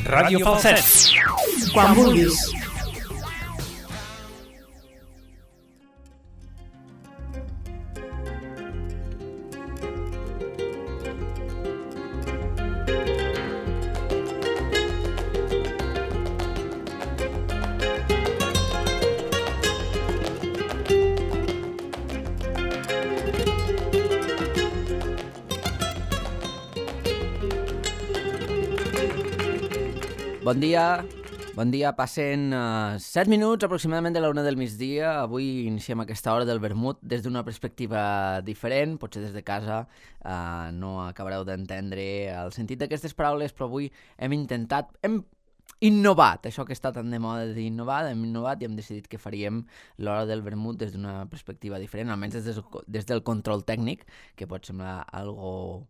Ràdio Falset. Quan vulguis. Bon dia, passen 7 minuts aproximadament de la 1 del migdia. Avui iniciem aquesta hora del vermut des d'una perspectiva diferent, potser des de casa no acabareu d'entendre el sentit d'aquestes paraules, però avui hem innovat, això que està tan de moda de dir hem innovat i hem decidit que faríem l'hora del vermut des d'una perspectiva diferent, almenys des del control tècnic, que pot semblar algo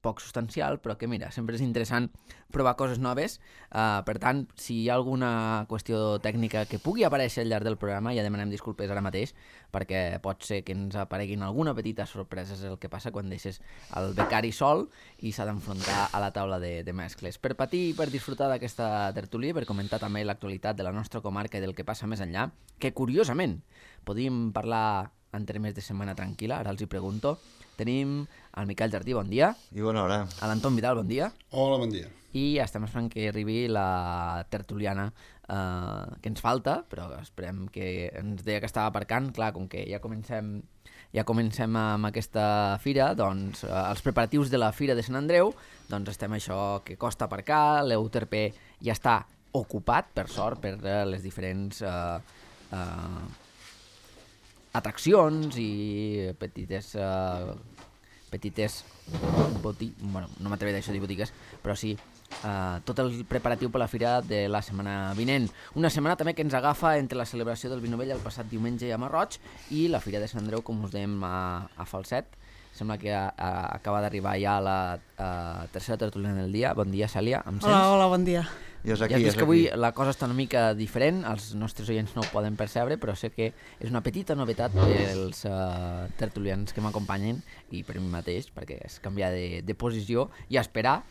poc substancial, però que mira, sempre és interessant provar coses noves. Per tant, si hi ha alguna qüestió tècnica que pugui aparèixer al llarg del programa, ja demanem disculpes ara mateix, perquè pot ser que ens apareguin alguna petita sorpresa. És el que passa quan deixes el becari sol i s'ha d'enfrontar a la taula de mescles. Per patir i per disfrutar d'aquesta tertúlia, per comentar també l'actualitat de la nostra comarca i del que passa més enllà, que curiosament podíem parlar en termes de setmana tranquil·la, ara els hi pregunto. Tenim el Miquel Jardí, bon dia. I bona hora. L'Anton Vidal, bon dia. Hola, bon dia. I estem esperant que arribi la tertuliana que ens falta, però esperem que ens deia que estava aparcant. Clar, com que ja comencem amb aquesta fira, doncs els preparatius de la Fira de Sant Andreu, doncs estem això que costa aparcar, l'UTRP ja està ocupat, per sort, per les diferents atraccions i petites bueno, no m'atreviré d'això de botigues, però sí tot el preparatiu per la fira de la setmana vinent. Una setmana també que ens agafa entre la celebració del Vi Novell el passat diumenge a Marroig i la Fira de Sant Andreu, com us dèiem, a Falset. Sembla que acaba d'arribar ja la tercera tertúlia del dia. Bon dia, Cèlia, em sents? Hola, bon dia. Ja has vist que avui la cosa està una mica diferent, els nostres oients no ho poden percebre, però sé que és una petita novetat pels tertulians que m'acompanyen i per mi mateix, perquè és canviar de posició i esperar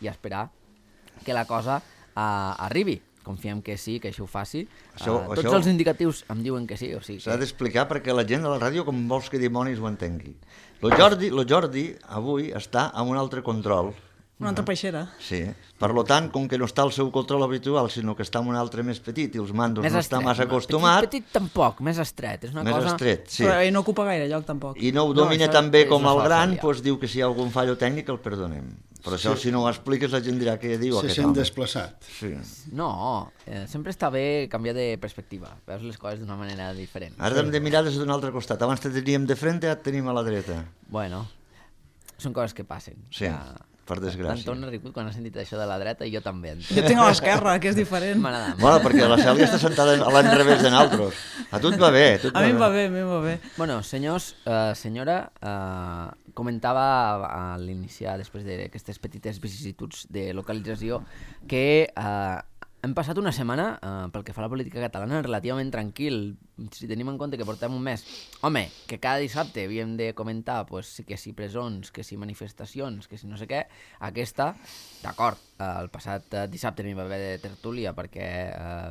que la cosa arribi. Confiem que sí, que això ho faci. Tots els indicatius em diuen que sí. O sigui s'ha d'explicar perquè la gent de la ràdio com vols que dimonis ho entengui. Lo Jordi avui està amb un altre control. Una altra peixera. Sí. Per tant, com que no està al seu control habitual, sinó que està en un altre més petit i els mandos no està massa acostumat... Petit tampoc, més estret. És una cosa... estret, sí. Però no ocupa gaire lloc, tampoc. I no ho domina tan bé com el gran, doncs diu que si hi ha algun fallo tècnic el perdonem. Però això, si no ho expliques, la gent dirà què diu aquest home. Se sent desplaçat. Sí. No, sempre està bé canviar de perspectiva. Veus les coses d'una manera diferent. Ara hem de mirar des d'un altre costat. Abans te teníem de frente, ara et tenim a la dreta. Bueno, són coses que passen. Sí. Per desgràcia. L'Anton ha rigut quan ha sentit això de la dreta i jo també. Jo tinc a l'esquerra, que és diferent. M'agrada. Bueno, perquè la Cèlia està sentada a l'enrevés de nosaltres. A tu et va bé. A mi em va bé. Bueno, senyors, senyora, comentava a l'iniciar, després d'aquestes petites vicissituds de localització, que hem passat una setmana, pel que fa a la política catalana, relativament tranquil. Si tenim en compte que portem un mes, home, que cada dissabte havíem de comentar que si presons, que si manifestacions, que si no sé què, aquesta, d'acord, el passat dissabte n'hi va haver de tertúlia perquè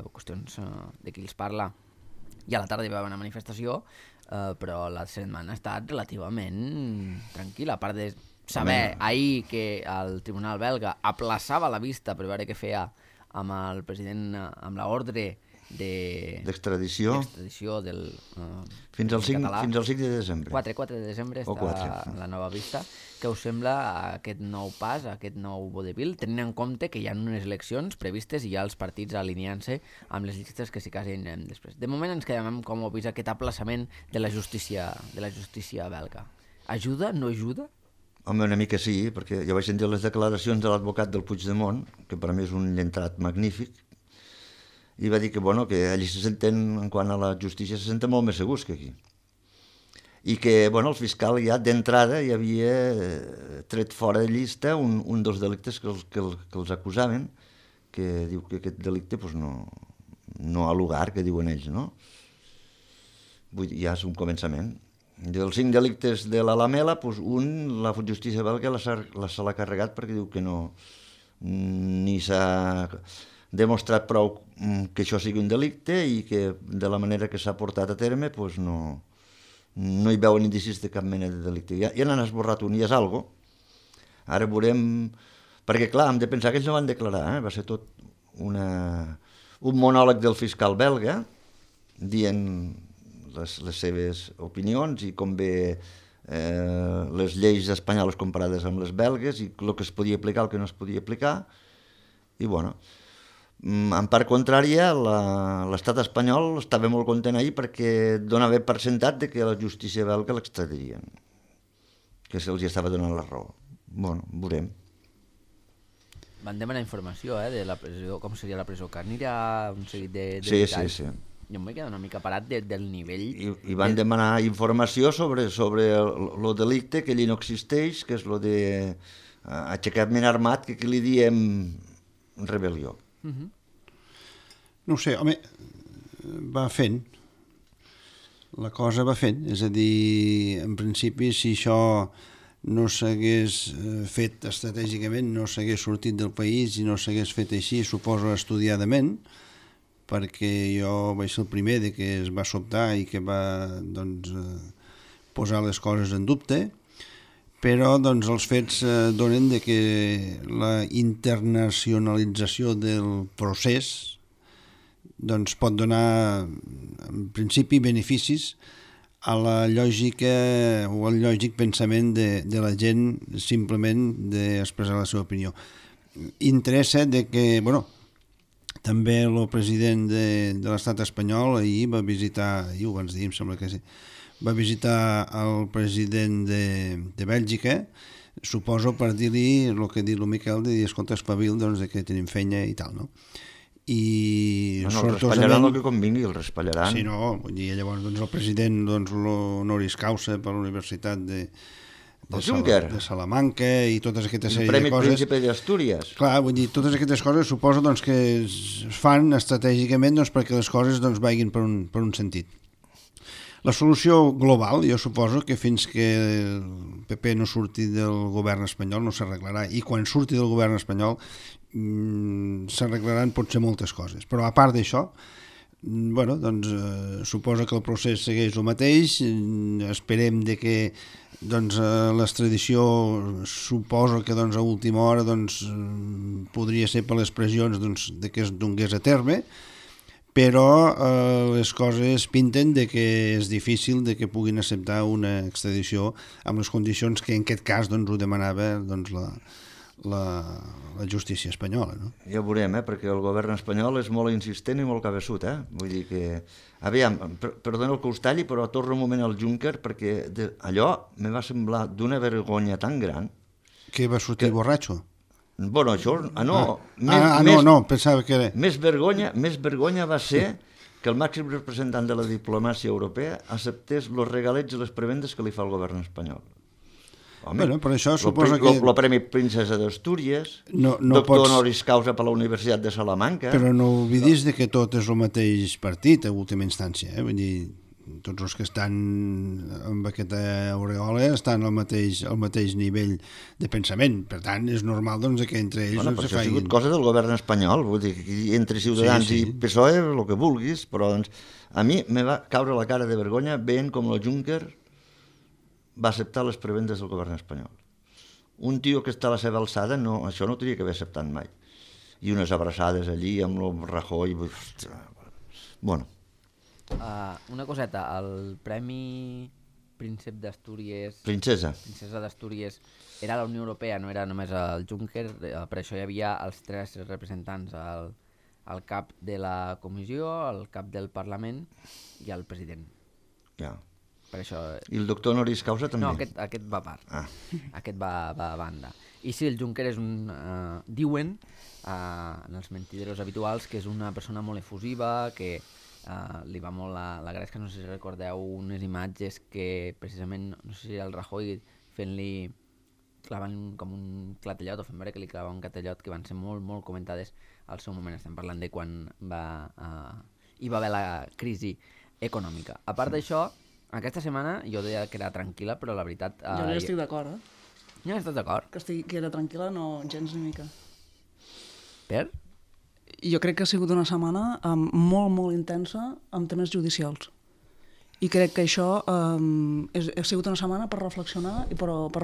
qüestions de qui els parla, i a la tarda hi va haver una manifestació, però la setmana ha estat relativament tranquil·la, a part de saber ahir que el Tribunal belga aplaçava la vista per veure què feia amb el president, amb l'ordre d'extradició del fins al 5 de desembre. 4 de desembre està la nova vista. Què us sembla aquest nou pas, aquest nou vodevil, tenint en compte que hi ha unes eleccions previstes i hi ha els partits alineant-se amb les llistes que s'hi casin després? De moment ens quedem amb com ho vist aquest aplaçament de la justícia belga. Ajuda? No ajuda? Home, una mica sí, perquè jo vaig sentir les declaracions de l'advocat del Puigdemont, que per mi és un llentrat magnífic, i va dir que, bueno, que allí se senten, en quant a la justícia, se senten molt més segurs que aquí. I que, bueno, el fiscal ja d'entrada ja havia tret fora de llista un dels delictes que els acusaven, que diu que aquest delicte pues, no ha lugar, que diuen ells, no? Vull dir, ja és un començament. Dels 5 delictes de la Lamela, doncs la justícia belga se l'ha carregat perquè diu que no ni s'ha demostrat prou que això sigui un delicte i que de la manera que s'ha portat a terme pues no hi veuen indicis de cap mena de delicte. Ja n'han esborrat un i és algo. Ara veurem... Perquè, clar, hem de pensar que ells no van declarar, va ser tot un monòleg del fiscal belga dient les seves opinions i com ve les lleis espanyoles comparades amb les belgues i el que es podia aplicar, el que no es podia aplicar. I, bueno, en part contrària, l'estat espanyol estava molt content ahir perquè donava per sentat de que la justícia belga l'extradirien, que se'ls estava donant la raó. Bueno, veurem. Van demanar informació de la presó, com seria la presó, que anirà un seguit de sí, detalls. Sí. Jo em vaig quedar una mica parat del nivell... I van demanar informació sobre el delicte, que allí no existeix, que és el d'aixecament armat, que aquí li diem rebel·lió. No ho sé, home, va fent. La cosa va fent. És a dir, en principi, si això no s'hagués fet estratègicament, no s'hagués sortit del país i no s'hagués fet així, suposo estudiadament, perquè jo vaig ser el primer de que es va sobtar i que va posar les coses en dubte, però els fets donen de que la internacionalització del procés pot donar, en principi, beneficis a la lògica o al lògic pensament de la gent simplement d'expressar la seva opinió. Interessa de que, també el president de l'estat espanyol ahir va visitar, ahir ho abans dir, em sembla que sí, va visitar el president de Bèlgica, suposo per dir-li el que ha dit el Miquel, de dir, escolta, espavil, de que tenim feina i tal, no? I el respallaran el que convingui, el respallaran. Sí, no, vull dir, llavors el president l'honoris causa per la Universitat de Salamanca i totes aquestes sèrie de coses. El Premi Príncipe d'Astúries. Clar, vull dir, totes aquestes coses suposo que es fan estratègicament perquè les coses vagin per un sentit. La solució global, jo suposo que fins que el PP no surti del govern espanyol no s'arreglarà, i quan surti del govern espanyol s'arreglaran potser moltes coses, però a part d'això suposo que el procés segueix el mateix, esperem de que l'extradició suposo que a última hora podria ser per les pressions de que es donés a terme, però les coses pinten de que és difícil de que puguin acceptar una extradició amb les condicions que en aquest cas ho demanava la justícia espanyola. No? Ja ho veurem, perquè el govern espanyol és molt insistent i molt cabeçut. Vull dir que... Aviam, perdona el que us talli, però torno un moment al Juncker, perquè allò me va semblar d'una vergonya tan gran... Que va sortir borratxo? Bueno, això... No, pensava que era... Més vergonya va ser que el màxim representant de la diplomàcia europea acceptés els regalets i les prebendes que li fa el govern espanyol. Home, per això suposo que... El Premi Princesa d'Astúries, doctor honoris causa per la Universitat de Salamanca... Però no oblidis que tot és el mateix partit, a última instància. Vull dir, tots els que estan amb aquesta aureola estan al mateix nivell de pensament. Per tant, és normal que entre ells... Però això ha sigut cosa del govern espanyol. Vull dir, entre Ciutadans i PSOE, el que vulguis, però a mi me va caure la cara de vergonya veient com el Juncker va acceptar les prebendes del govern espanyol. Un tio que està a la seva alçada, això no ho hauria d'haver acceptat mai. I unes abraçades allí amb el Rajoy... Bueno. Una coseta, el Premi Príncep d'Astúries... Princesa d'Astúries era la Unió Europea, no era només el Juncker, per això hi havia els 3 representants, el cap de la comissió, el cap del Parlament i el president. Ja. Per això... I el doctor honoris causa també? No, aquest va a part. Aquest va a banda. I sí, el Juncker és diuen en els mentideros habituals que és una persona molt efusiva, que li va molt la gràcia, no sé si recordeu unes imatges que precisament, no sé si el Rajoy fent-li, clavant com un clatellot, o fent veure que li clavava un clatellot, que van ser molt, molt comentades al seu moment. Estem parlant de quan hi va haver la crisi econòmica. A part d'això, aquesta setmana jo deia que era tranquil·la, però la veritat... Jo no estic d'acord, No estàs d'acord? Que era tranquil·la, no, gens ni mica. Per? Jo crec que ha sigut una setmana molt, molt intensa amb temes judicials. I crec que això ha sigut una setmana per reflexionar, però per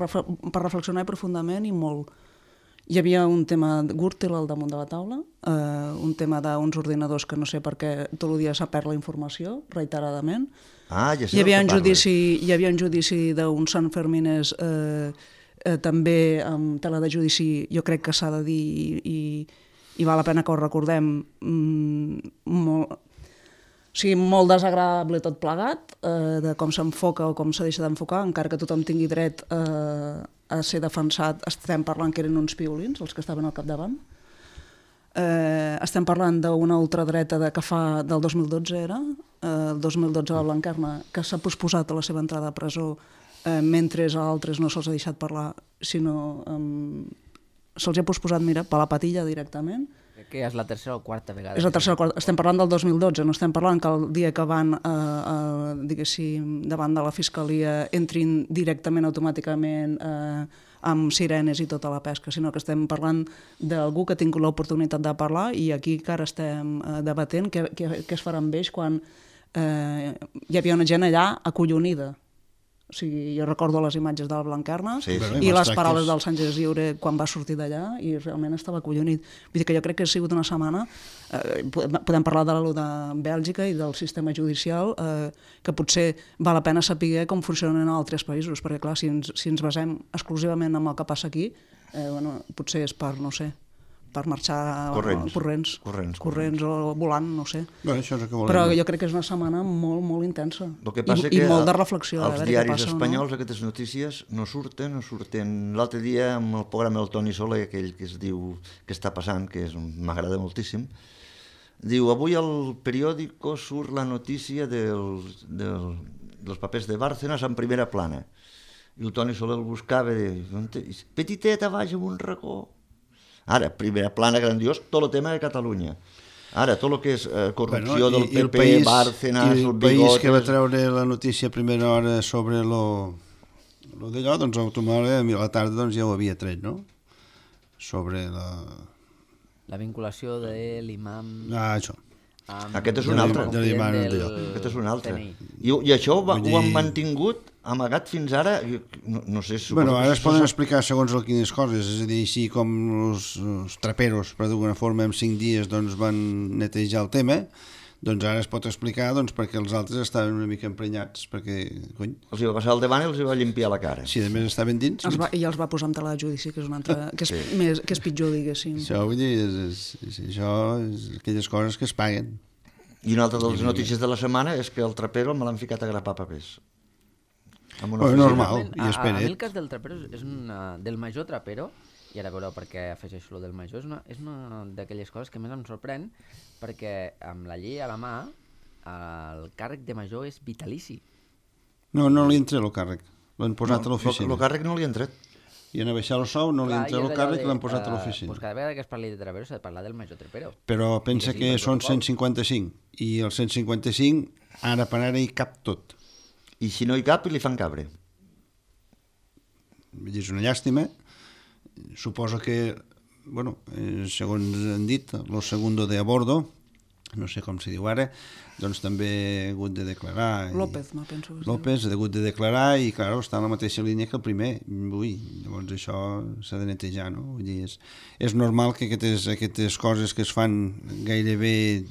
reflexionar profundament i molt. Hi havia un tema de Gürtel al damunt de la taula, un tema d'uns ordinadors que no sé per què tot el dia s'ha perd la informació, reiteradament. Ja sé Hi havia del que parles. hi havia un judici d'uns Sanfermines també amb tela de judici, jo crec que s'ha de dir i val la pena que ho recordem, molt desagradable tot plegat, de com s'enfoca o com s'ha deixat d'enfocar, encara que tothom tingui dret a ser defensat. Estem parlant que eren uns piolins, els que estaven al capdavant. Estem parlant d'una ultradreta que fa del 2012 era, el 2012 a la Blanquerna, que s'ha posposat a la seva entrada a presó, mentre a altres no se'ls ha deixat parlar, sinó se'ls ha posposat, mira, per la patilla directament. Crec que és la tercera o quarta vegada. És la tercera o quarta. Estem parlant del 2012, no estem parlant que el dia que van, diguéssim, davant de la Fiscalia entrin directament, automàticament, amb sirenes i tota la pesca, sinó que estem parlant d'algú que ha tingut l'oportunitat de parlar i aquí que ara estem debatent què es farà amb ells quan hi havia una gent allà acollonida. O sigui, jo recordo les imatges de la Blanquerna i les paraules del Sánchez Lliure quan va sortir d'allà i realment estava acollonit. Vull dir que jo crec que ha sigut una setmana, podem parlar de de Bèlgica i del sistema judicial, que potser val la pena saber com funcionen en altres països, perquè clar, si ens basem exclusivament en el que passa aquí, potser és per, no sé, per marxar corrents o volant, no sé. Bueno, això és el que volem. Però jo crec que és una setmana molt, molt intensa. El que passa I molt de reflexió. Els diaris espanyols, aquestes notícies, no surten. L'altre dia, amb el programa del Toni Soler, aquell que es diu Què està passant, que m'agrada moltíssim, diu, avui al periòdico surt la notícia dels papers de Bárcenas en primera plana. I el Toni Soler el buscava, petiteta, baix en un racó. Ara, primera plana, grandiós, tot el tema de Catalunya. Ara, tot el que és corrupció del PP, Bárcenas, el Bigotes... El país que va treure la notícia a primera hora sobre lo d'allò, doncs automòbilament a la tarda ja ho havia tret, no? Sobre la vinculació de l'imam... Això. Aquest és un altre. Aquest és un altre. I això ho han mantingut amagat fins ara, no sé... Bueno, ara es poden explicar segons quines coses, és a dir, així com els traperos, per d'alguna forma, en 5 dies van netejar el tema, doncs ara es pot explicar perquè els altres estaven una mica emprenyats, perquè, cony... Els va passar al davant i els va limpiar la cara. Sí, a més estaven dins. I els va posar en tela de judici, que és un altre... que és pitjor, diguéssim. Això, vull dir, això és aquelles coses que es paguen. I una altra de les notícies de la setmana és que el trapero me l'han ficat a grapar papers. Normal, i a espera't. mi el cas del trapero és del major trapero, i ara veureu per què afegeixo el del major, és una d'aquelles coses que més em sorprèn, perquè amb la llei a la mà el càrrec de major és vitalici. No li entra el càrrec, l'han posat a l'oficina. El càrrec no li ha entrat. I en baixar el sou no li entra el càrrec i l'han posat a l'oficina. Cada vegada que es parli de trapero s'ha de parlar del major trapero. Però pensa que són 155, i el 155 ara per ara hi cap tot. I si no hi cap, li fan cabre. És una llàstima. Suposo que, segons han dit, el segundo de a bordo, no sé com se diu ara, doncs també ha hagut de declarar. López, no penso. López ha hagut de declarar i, clar, està en la mateixa línia que el primer. Llavors això s'ha de netejar, no? Vull dir, és normal que aquestes coses que es fan gairebé,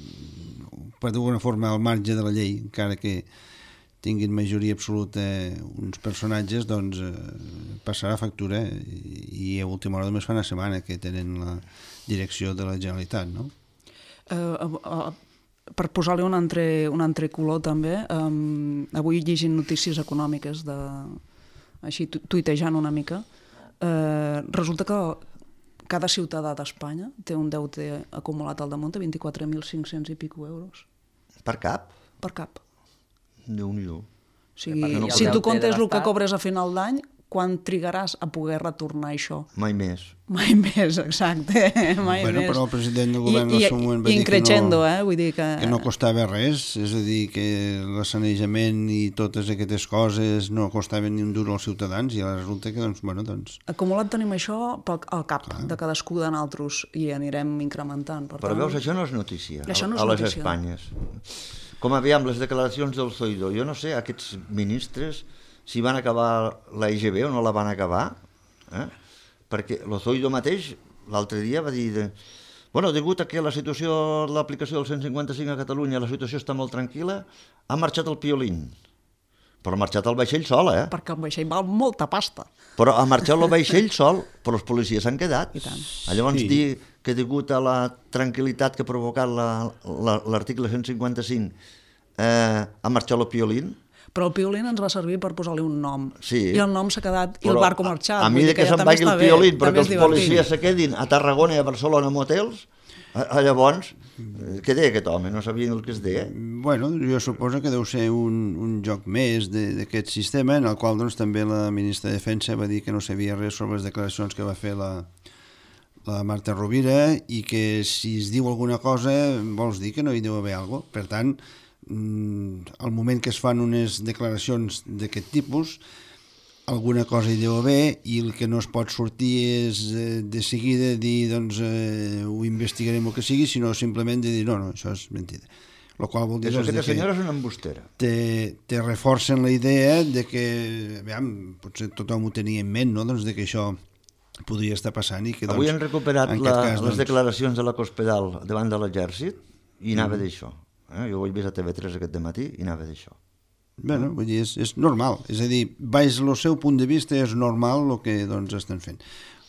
per d'alguna forma, al marge de la llei, encara que tinguin majoria absoluta uns personatges, doncs passarà factura i a última hora només fa una setmana que tenen la direcció de la Generalitat, no? Per posar-li un altre color també, avui llegint notícies econòmiques, així tuitejant una mica, resulta que cada ciutadà d'Espanya té un deute acumulat al damunt de 24.500 i pico euros. Per cap? Per cap. Déu-n'hi-do. O sigui, si tu comptes el que cobres a final d'any, quan trigaràs a poder retornar això? Mai més. Mai més, exacte, mai Bueno, més. però el president del govern en el seu moment va dir increixendo, vull dir que no costava res, és a dir, que l'assanejament i totes aquestes coses no costaven ni un duro als ciutadans i ara resulta que, doncs... Acumulat tenim això al cap de cadascú de nosaltres i anirem incrementant. Però veus, això no és notícia Això no és a les notícia. Espanyes. Com aviam les declaracions del Zoido, jo no sé, aquests ministres, si van acabar la IGB o no la van acabar, perquè el Zoido mateix l'altre dia va dir bueno, degut a que la situació de l'aplicació del 155 a Catalunya, la situació està molt tranquil·la, ha marxat el Piolín. Però ha marxat el vaixell sol, Perquè el vaixell val molta pasta. Però ha marxat el vaixell sol, però els policies s'han quedat. I tant. Llavors dir que degut a la tranquil·litat que ha provocat l'article 155 ha marxat el Piolín. Però el Piolín ens va servir per posar-li un nom. Sí. I el nom s'ha quedat i el barco ha marxat. A mi de que ja se'n també vagi el està bé, Piolín, però també que és els policies se quedin a Tarragona i a Barcelona en hotels, llavors, què deia aquest home? No sabien el que es deia. Bueno, jo suposo que deu ser un joc més d'aquest sistema, en el qual doncs, també la ministra de Defensa va dir que no sabia res sobre les declaracions que va fer la Marta Rovira i que si es diu alguna cosa vols dir que no hi deu haver alguna cosa. Per tant, al moment que es fan unes declaracions d'aquest tipus, alguna cosa hi deu haver i el que no es pot sortir és de seguida dir doncs ho investigarem el que sigui, sinó simplement de dir no, això és mentida. Lo qual vol dir Aquesta que senyora és una embustera. te reforcen la idea de que, aviam, potser tothom ho tenia en ment, no? Doncs de que això podria estar passant i que, doncs, Avui han recuperat en aquest cas, les declaracions de la Cospedal davant de l'exèrcit i anava d'això. Jo ho he vist a TV3 aquest dematí i anava d'això. Bueno, vull dir, és normal, és a dir, baix el seu punt de vista és normal el que doncs, estan fent.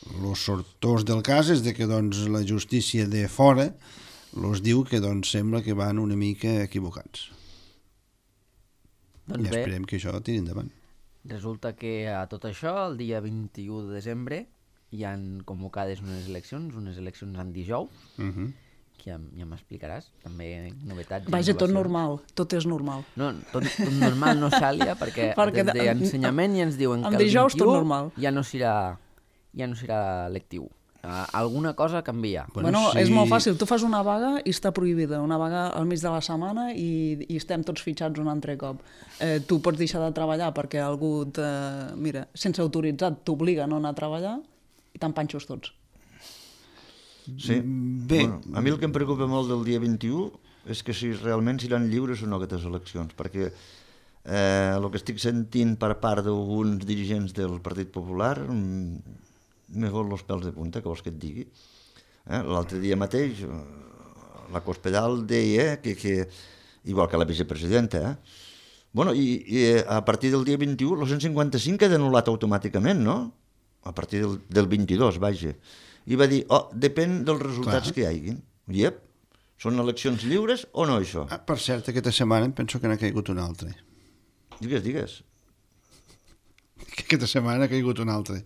Els sortós del cas és de que doncs, la justícia de fora els diu que doncs, sembla que van una mica equivocats. Doncs I esperem que això tiri endavant. Resulta que a tot això, el dia 21 de desembre, hi han convocades unes eleccions en dijous, que ja m'explicaràs, també novetats. Vaja, tot normal, tot és normal. No, tot normal no, Xàlia, perquè des d'ensenyament ja ens diuen que el 21 ja no serà lectiu. Alguna cosa canvia. Bueno, és molt fàcil, tu fas una vaga i està prohibida, una vaga al mig de la setmana i estem tots fitxats un altre cop. Tu pots deixar de treballar perquè algú, mira, sense autoritzat t'obliga a no anar a treballar i te'n panxos tots. Sí. Bé. Bueno, a mi el que em preocupa molt del dia 21 és que si realment seran lliures o no aquestes eleccions, perquè el que estic sentint per part d'alguns dirigents del Partit Popular me vol els pèls de punta, que vols que et digui. L'altre dia mateix la Cospedal deia que igual que la vicepresidenta, bueno, i a partir del dia 21 el 155 queda anul·lat automàticament, no? A partir del 22, vaja. I va dir, depèn dels resultats que hi hagi. Iep, són eleccions lliures o no, això? Per cert, aquesta setmana em penso que n'ha caigut un altre. Digues. Aquesta setmana ha caigut un altre.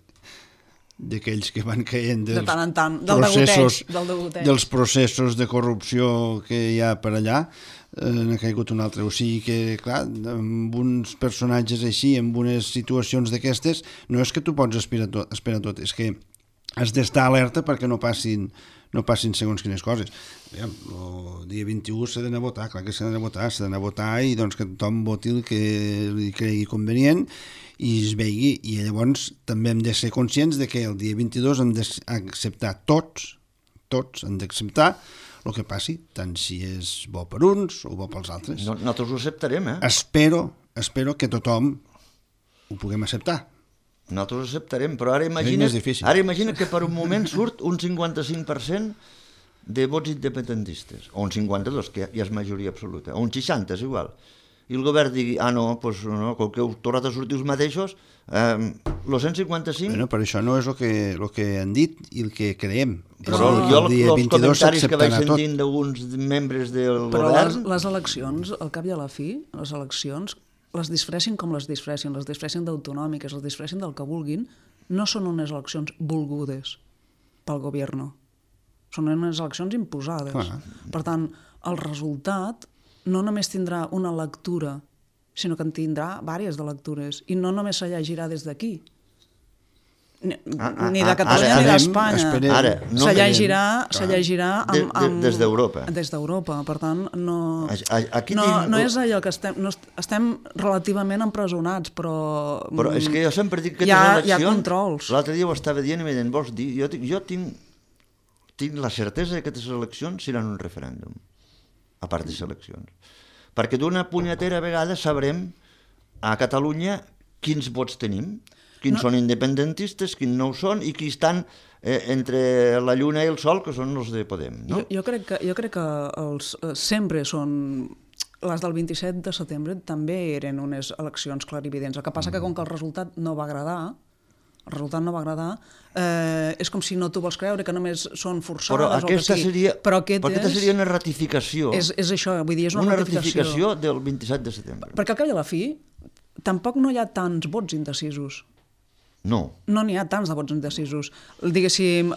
D'aquells que van caient de tant en tant, dels processos de corrupció que hi ha per allà, n'ha caigut un altre. O sigui que, clar, amb uns personatges així, amb unes situacions d'aquestes, no és que tu pots esperar tot, és que has d'estar alerta perquè no passin segons quines coses. El dia 21 s'ha d'anar a votar, clar que s'ha d'anar a votar i doncs que tothom voti el que li cregui convenient i es vegi, i llavors també hem de ser conscients de que el dia 22 hem d'acceptar tots han d'acceptar el que passi, tant si és bo per uns o bo pels altres. Nosaltres ho acceptarem, Espero que tothom ho puguem acceptar. Nosaltres ho acceptarem, però ara imagina que per un moment surt un 55% de vots independentistes, o un 52, que ja és majoria absoluta, o un 60, és igual. I el govern digui, no, com que heu tornat a sortir els mateixos, el 155... Bueno, però això no és el que han dit i el que creiem. Però jo els comentaris que vaig sentint d'alguns membres del govern... Però les eleccions, al cap i a la fi, les eleccions, les disfressin com les disfressin d'autonòmiques, les disfressin del que vulguin, no són unes eleccions volgudes pel govern. Són unes eleccions imposades. Per tant, el resultat no només tindrà una lectura, sinó que en tindrà diverses de lectures, i no només se llegirà des d'aquí, ni de Catalunya ni d'Espanya. Se llegirà des d'Europa. Des d'Europa, per tant, no és allò que estem relativament empresonats, però és que jo sempre dic que hi ha controls. L'altre dia ho estava dient i em deien, vols dir, jo tinc la certesa que aquestes eleccions seran un referèndum, a part de eleccions. Perquè d'una punyetera vegada sabrem a Catalunya quins vots tenim, quins són independentistes, quins no ho són, i qui estan entre la lluna i el sol, que són els de Podem. No? Jo crec que sempre són... Les del 27 de setembre també eren unes eleccions clarividents. El que passa que com que el resultat no va agradar, és com si no t'ho vols creure, que només són forçades. Però aquesta seria una ratificació. És això, vull dir, és una ratificació del 27 de setembre. Perquè al cap i a la fi tampoc no hi ha tants vots indecisos. No n'hi ha tants de vots indecisos. Diguéssim,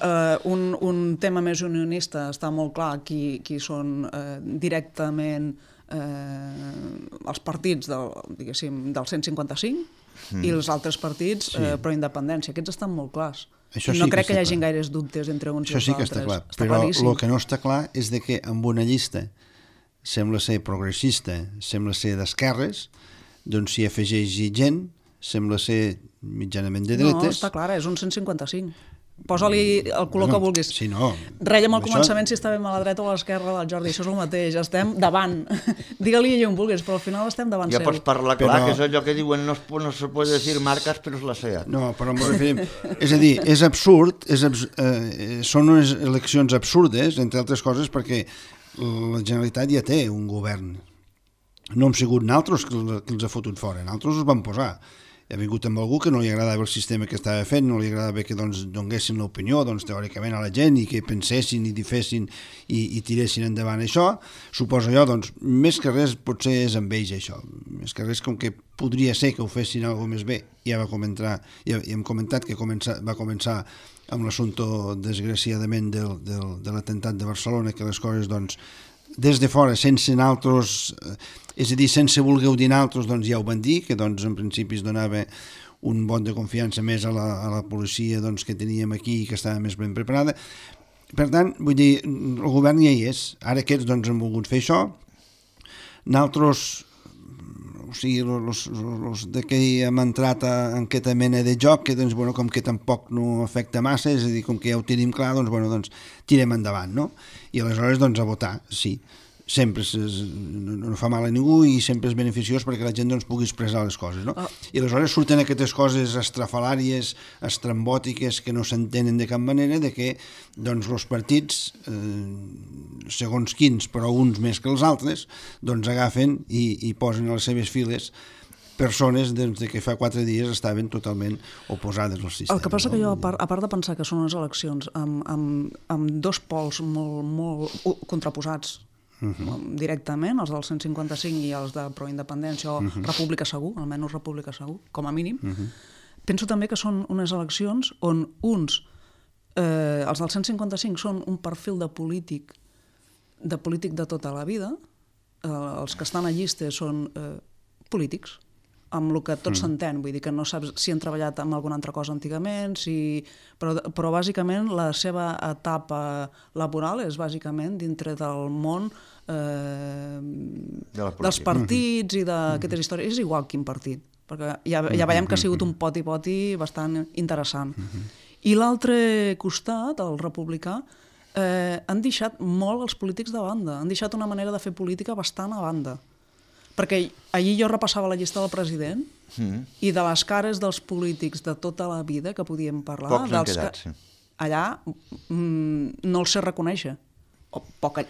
un tema més unionista està molt clar qui són directament els partits del 155 i els altres partits pro-independència. Aquests estan molt clars. No crec que hi hagi gaires dubtes entre uns i els altres. Això sí que està clar, però el que no està clar és que amb una llista sembla ser progressista, sembla ser d'esquerres, doncs s'hi afegeix gent, sembla ser mitjanament de dretes. No, està clar, és un 155. Posa-li el color que vulguis. Sí, no. Reiem al començament si estàvem a la dreta o a l'esquerra del Jordi, això és el mateix, estem davant. Digue-li allà on vulguis, però al final estem davant seu. Ja pots parlar clar, que és allò que diuen, no se pot dir marques, però és la SEAT. No, però m'ho referim. És a dir, és absurd, són unes eleccions absurdes, entre altres coses, perquè la Generalitat ja té un govern. No hem sigut nosaltres que els ha fotut fora, nosaltres els vam posar. Ha vingut amb algú que no li agradava el sistema que estava fent, no li agradava que donguessin l'opinió teòricament a la gent i que pensessin i difessin i tiressin endavant això. Suposo jo, més que res potser és amb ells això, més que res com que podria ser que ho fessin alguna més bé. Ja hem comentat que va començar amb l'assumpte desgraciadament de l'atemptat de Barcelona, que les coses des de fora, sense naltros, és a dir, sense voler dir naltros, ja ho van dir, que en principi es donava un vot de confiança més a la policia que teníem aquí i que estava més ben preparada. Per tant, vull dir, el govern ja hi és. Ara aquests han volgut fer això. Naltros, o sigui, els que hem entrat en aquesta mena de joc, que com que tampoc no afecta massa, és a dir, com que ja ho tenim clar, tirem endavant, no? I aleshores, a votar, sí. Sempre no fa mal a ningú i sempre és beneficiós perquè la gent pugui expressar les coses, no? I aleshores surten aquestes coses estrafalàries, estrambòtiques, que no s'entenen de cap manera, de que els partits, segons quins, però uns més que els altres, agafen i posen a les seves files persones que fa 4 dies estaven totalment oposades al sistema. El que passa que jo, a part de pensar que són unes eleccions amb dos pols molt contraposats, directament, els del 155 i els de proindependència o república segur, almenys república segur, com a mínim. Penso també que són unes eleccions on els del 155 són un perfil de polític de tota la vida, els que estan a llistes són polítics, amb el que tot s'entén, vull dir que no saps si han treballat amb alguna altra cosa antigament, però bàsicament la seva etapa laboral és bàsicament dintre del món dels partits i d'aquestes històries. És igual quin partit, perquè ja veiem que ha sigut un poti-poti bastant interessant. I l'altre costat, el republicà, han deixat molt els polítics de banda, han deixat una manera de fer política bastant a banda. Perquè ahir jo repassava la llista del president i de les cares dels polítics de tota la vida que podíem parlar, pocs han quedat, sí. Allà no els sé reconèixer.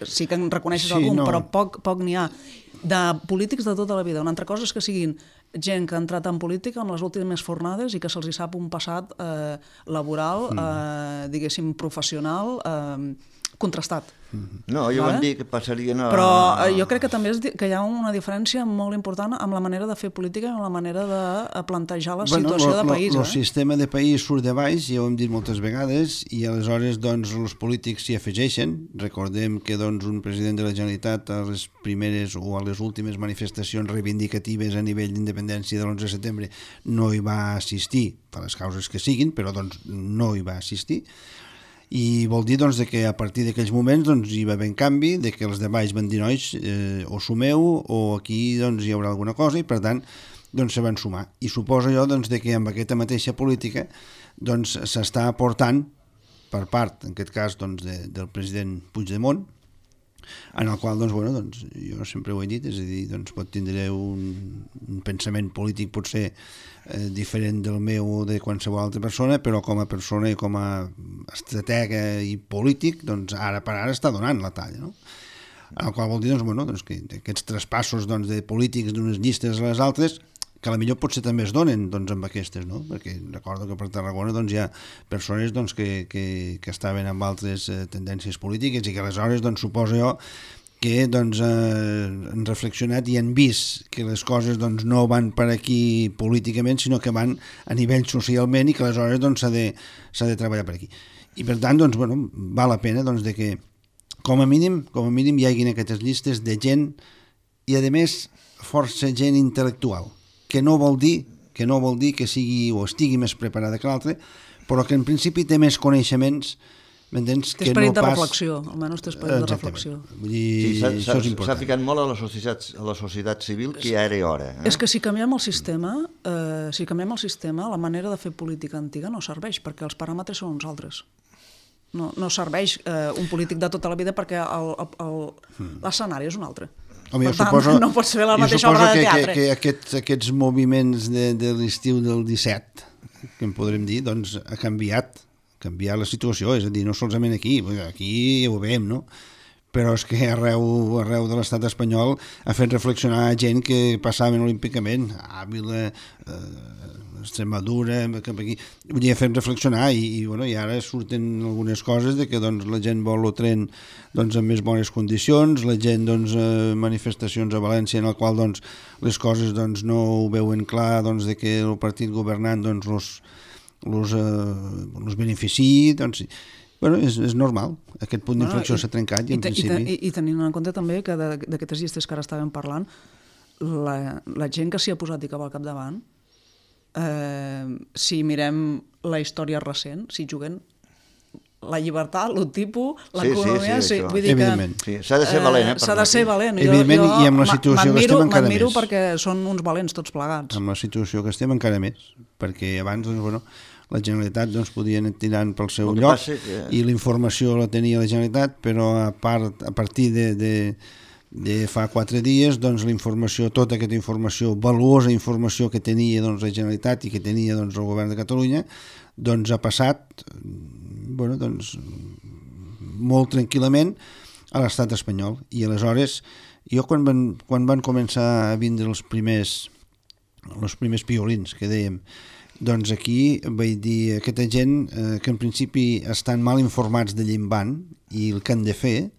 Sí que en reconeixes algun, però poc n'hi ha. De polítics de tota la vida. Una altra cosa és que siguin gent que ha entrat en política en les últimes fornades i que se'ls sap un passat laboral, diguéssim, professional, contrastat. No, jo van dir que passarien a... Però jo crec que també que hi ha una diferència molt important amb la manera de fer política i amb la manera de plantejar la situació de país. El sistema de país surt de baix, ja ho hem dit moltes vegades, i aleshores doncs, els polítics s'hi afegeixen. Recordem que doncs, un president de la Generalitat a les primeres o a les últimes manifestacions reivindicatives a nivell d'independència de l'11 de setembre no hi va assistir, per les causes que siguin, però doncs, no hi va assistir. I vol dir doncs, que a partir d'aquells moments doncs, hi va haver un canvi, de que els de baix van dir nois, o sumeu o aquí doncs, hi haurà alguna cosa, i per tant doncs, se van sumar. I suposo jo doncs, que amb aquesta mateixa política doncs, s'està aportant per part, en aquest cas, doncs, del president Puigdemont, en el qual doncs, doncs, jo sempre ho he dit, és a dir, doncs, pot tindre un pensament polític potser diferent del meu o de qualsevol altra persona, però com a persona i com a estratega i polític, doncs ara per ara està donant la talla, no? En el qual vol dir doncs, que aquests traspassos doncs, de polítics d'unes llistes a les altres, que a la millor potser també es donen doncs, amb aquestes, no? Perquè recordo que per Tarragona doncs, hi ha persones doncs, que estaven amb altres tendències polítiques i que aleshores doncs, suposo jo que doncs, han reflexionat i han vist que les coses doncs, no van per aquí políticament, sinó que van a nivell socialment i que aleshores doncs, s'ha de treballar per aquí. I per tant, doncs, val la pena doncs, de que com a mínim hi hagin aquestes llistes de gent i, a més, força gent intel·lectual, que no vol dir que sigui o estigui més preparada que l'altre, però que en principi té més coneixements. Té esperit de reflexió, almenys té esperit de reflexió. S'ha ficat molt a la societat civil, que ja era hora. És que si canviem el sistema, la manera de fer política antiga no serveix, perquè els paràmetres són uns altres. No serveix un polític de tota la vida perquè l'escenari és un altre. Home, per tant, no pots fer la mateixa obra de teatre. Que aquests moviments de l'estiu del 17, que en podrem dir, doncs ha canviat la situació, és a dir, no solament aquí ja ho veiem, no? Però és que arreu de l'estat espanyol ha fet reflexionar gent que passaven olímpicament, Àvila, Extremadura, cap aquí, ha fet reflexionar i ara surten algunes coses de que doncs, la gent vol el tren doncs, en més bones condicions, la gent doncs, manifestacions a València en el qual doncs, les coses doncs, no ho veuen clar doncs, de que el partit governant doncs, els beneficiï, doncs, és normal, aquest punt d'inflexió s'ha trencat i en principi... I tenint en compte també que d'aquestes llistes que ara estàvem parlant, la gent que s'hi ha posat i que va al capdavant, si mirem la història recent, si juguen la llibertat, l'otipo, l'economia... Vull dir que s'ha de ser valent. S'ha de ser valent. Evidentment, i amb la situació que estem encara més. M'admiro perquè són uns valents tots plegats. Amb la situació que estem encara més, perquè abans, la Generalitat doncs, podia anar tirant pel seu lloc i la informació la tenia la Generalitat, però a partir de fa 4 dies doncs, tota aquesta informació, valuosa informació que tenia doncs, la Generalitat i que tenia doncs, el govern de Catalunya, doncs ha passat doncs, molt tranquil·lament a l'estat espanyol. I aleshores, jo quan van començar a vindre els primers piolins que dèiem, doncs aquí vaig dir aquesta gent que en principi estan mal informats de d'on van i el que han de fer,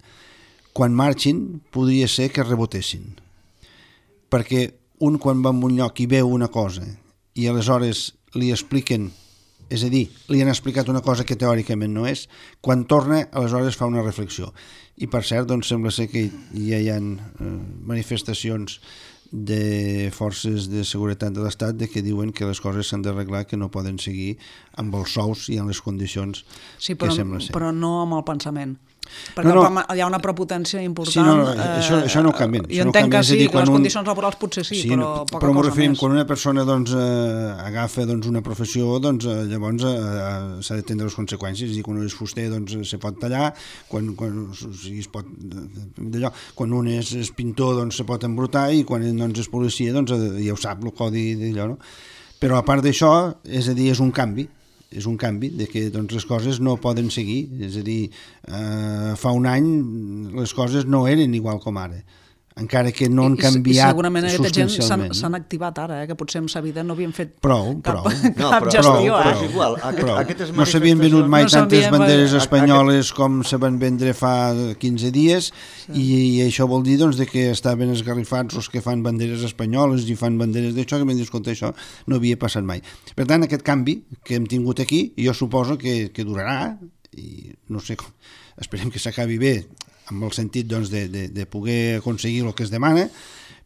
quan marxin podria ser que rebotessin, perquè un quan va a un lloc i veu una cosa i aleshores li expliquen, és a dir, li han explicat una cosa que teòricament no és, quan torna aleshores fa una reflexió. I per cert, doncs sembla ser que ja hi ha manifestacions de forces de seguretat de l'Estat que diuen que les coses s'han d'arreglar, que no poden seguir amb els sous i amb les condicions que sembla ser. Però no amb el pensament. Perquè hi ha una prepotència important. Això no ho canvien. Jo entenc que sí, que les condicions laborals potser sí, però poca cosa més. Però m'ho referim, quan una persona agafa una professió, llavors s'ha de tindre les conseqüències. És a dir, quan un és fuster se pot tallar, quan un és pintor se pot embrutar i quan és policia ja ho sap, el codi d'allò. Però a part d'això, és a dir, és un canvi de que les coses no poden seguir, és a dir, fa un any les coses no eren igual com ara. encara que no han canviat I segurament aquesta gent substancialment. s'han activat ara, que potser en sa vida no havien fet Prou. cap No, gestió. però és igual. Aquestes No s'havien venut mai No tantes s'havien- banderes espanyoles com se van vendre fa 15 dies i això vol dir doncs, que estaven esgarrifats els que fan banderes espanyoles i fan banderes d'això, que m'han dit, escolta, això no havia passat mai. Per tant, aquest canvi que hem tingut aquí, jo suposo que durarà i no sé com, esperem que s'acabi bé amb el sentit doncs, de poder aconseguir el que es demana,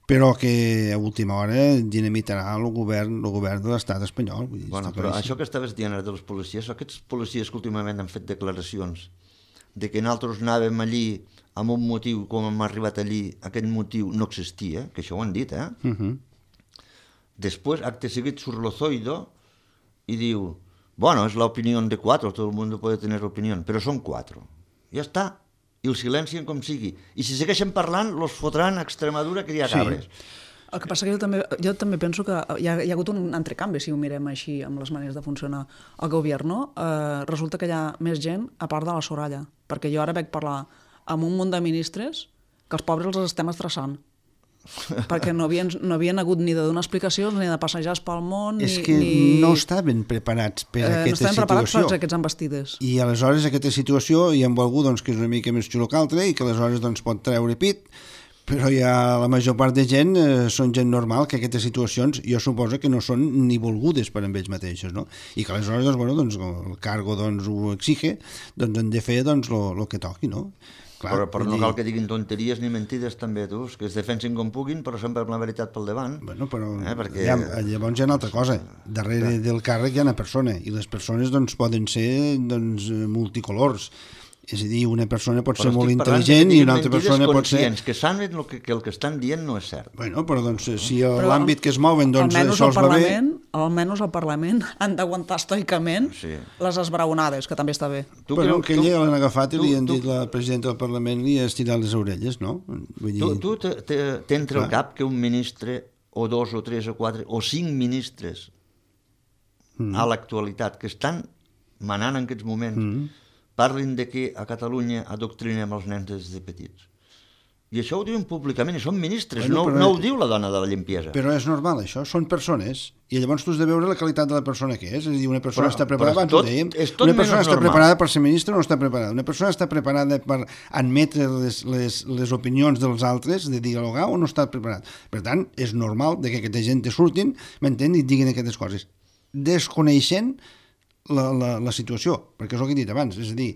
però que a última hora dinamitarà el govern de l'estat espanyol. Vull dir, Bueno, està però claríssim. això que estaves dient ara dels policies, aquests policies que últimament han fet declaracions de que nosaltres anàvem allí amb un motiu, com hem arribat allí, aquest motiu no existia, que això ho han dit, Després, acte seguit, surt Lozoido y diu, bueno, es la opinión de 4, todo el mundo puede tener opinión, però són 4. Ja està. I el silencien com sigui. I si segueixen parlant, los fotran a Extremadura que hi ha cabres. El que passa que jo també penso que hi ha hagut un entrecanvi, si ho mirem així, amb les maneres de funcionar el govern. Resulta que hi ha més gent a part de la Soraya, perquè jo ara veig parlar amb un munt de ministres que els pobres els estem estressant, perquè no havien hagut ni de donar explicacions ni de passejar pel món. És que no estaven preparats per no aquesta estaven preparats per situació. aquests embestides. I aleshores aquesta situació hi ha algú doncs, que és una mica més xulo que altre i que aleshores doncs, pot treure pit, però ja la major part de gent són gent normal, que aquestes situacions jo suposo que no són ni volgudes per amb ells mateixos, no? I que aleshores doncs, bueno, doncs, el cargo doncs, ho exige, doncs han de fer doncs, lo que toqui, no? Clar, però no cal que diguin tonteries ni mentides també, tu, que es defensin com puguin, però sempre amb la veritat pel davant. Bueno, però perquè... llavors hi ha una altra cosa. Darrere del càrrec hi ha una persona, i les persones doncs, poden ser doncs, multicolors. És a dir, una persona pot ser molt intel·ligent i una altra persona pot ser... que saben que el que estan dient no és cert. Bueno, però doncs, si l'àmbit que es mouen doncs, això els va bé... Almenys al Parlament han d'aguantar estoicament les esbraonades, que també està bé. Però aquell ja l'han agafat i li han dit la presidenta del Parlament li ha estirat les orelles, no? Vull dir... Tu t'entra al cap que un ministre, o 2, o 3, o 4, o 5 ministres a l'actualitat que estan manant en aquests moments parlin de que a Catalunya adoctrinem els nens des de petits. I això ho diuen públicament, i són ministres, no ho diu la dona de la limpiesa. Però és normal, això, són persones, i llavors tu has de veure la qualitat de la persona que és a dir, una persona està preparada, abans ho dèiem, una persona està preparada per ser ministre o no està preparada, una persona està preparada per admetre les opinions dels altres, de dialogar o no està preparat. Per tant, és normal que aquesta gent te surtin, m'entén, i diguin aquestes coses, desconeixent la situació, perquè és el que he dit abans, és a dir,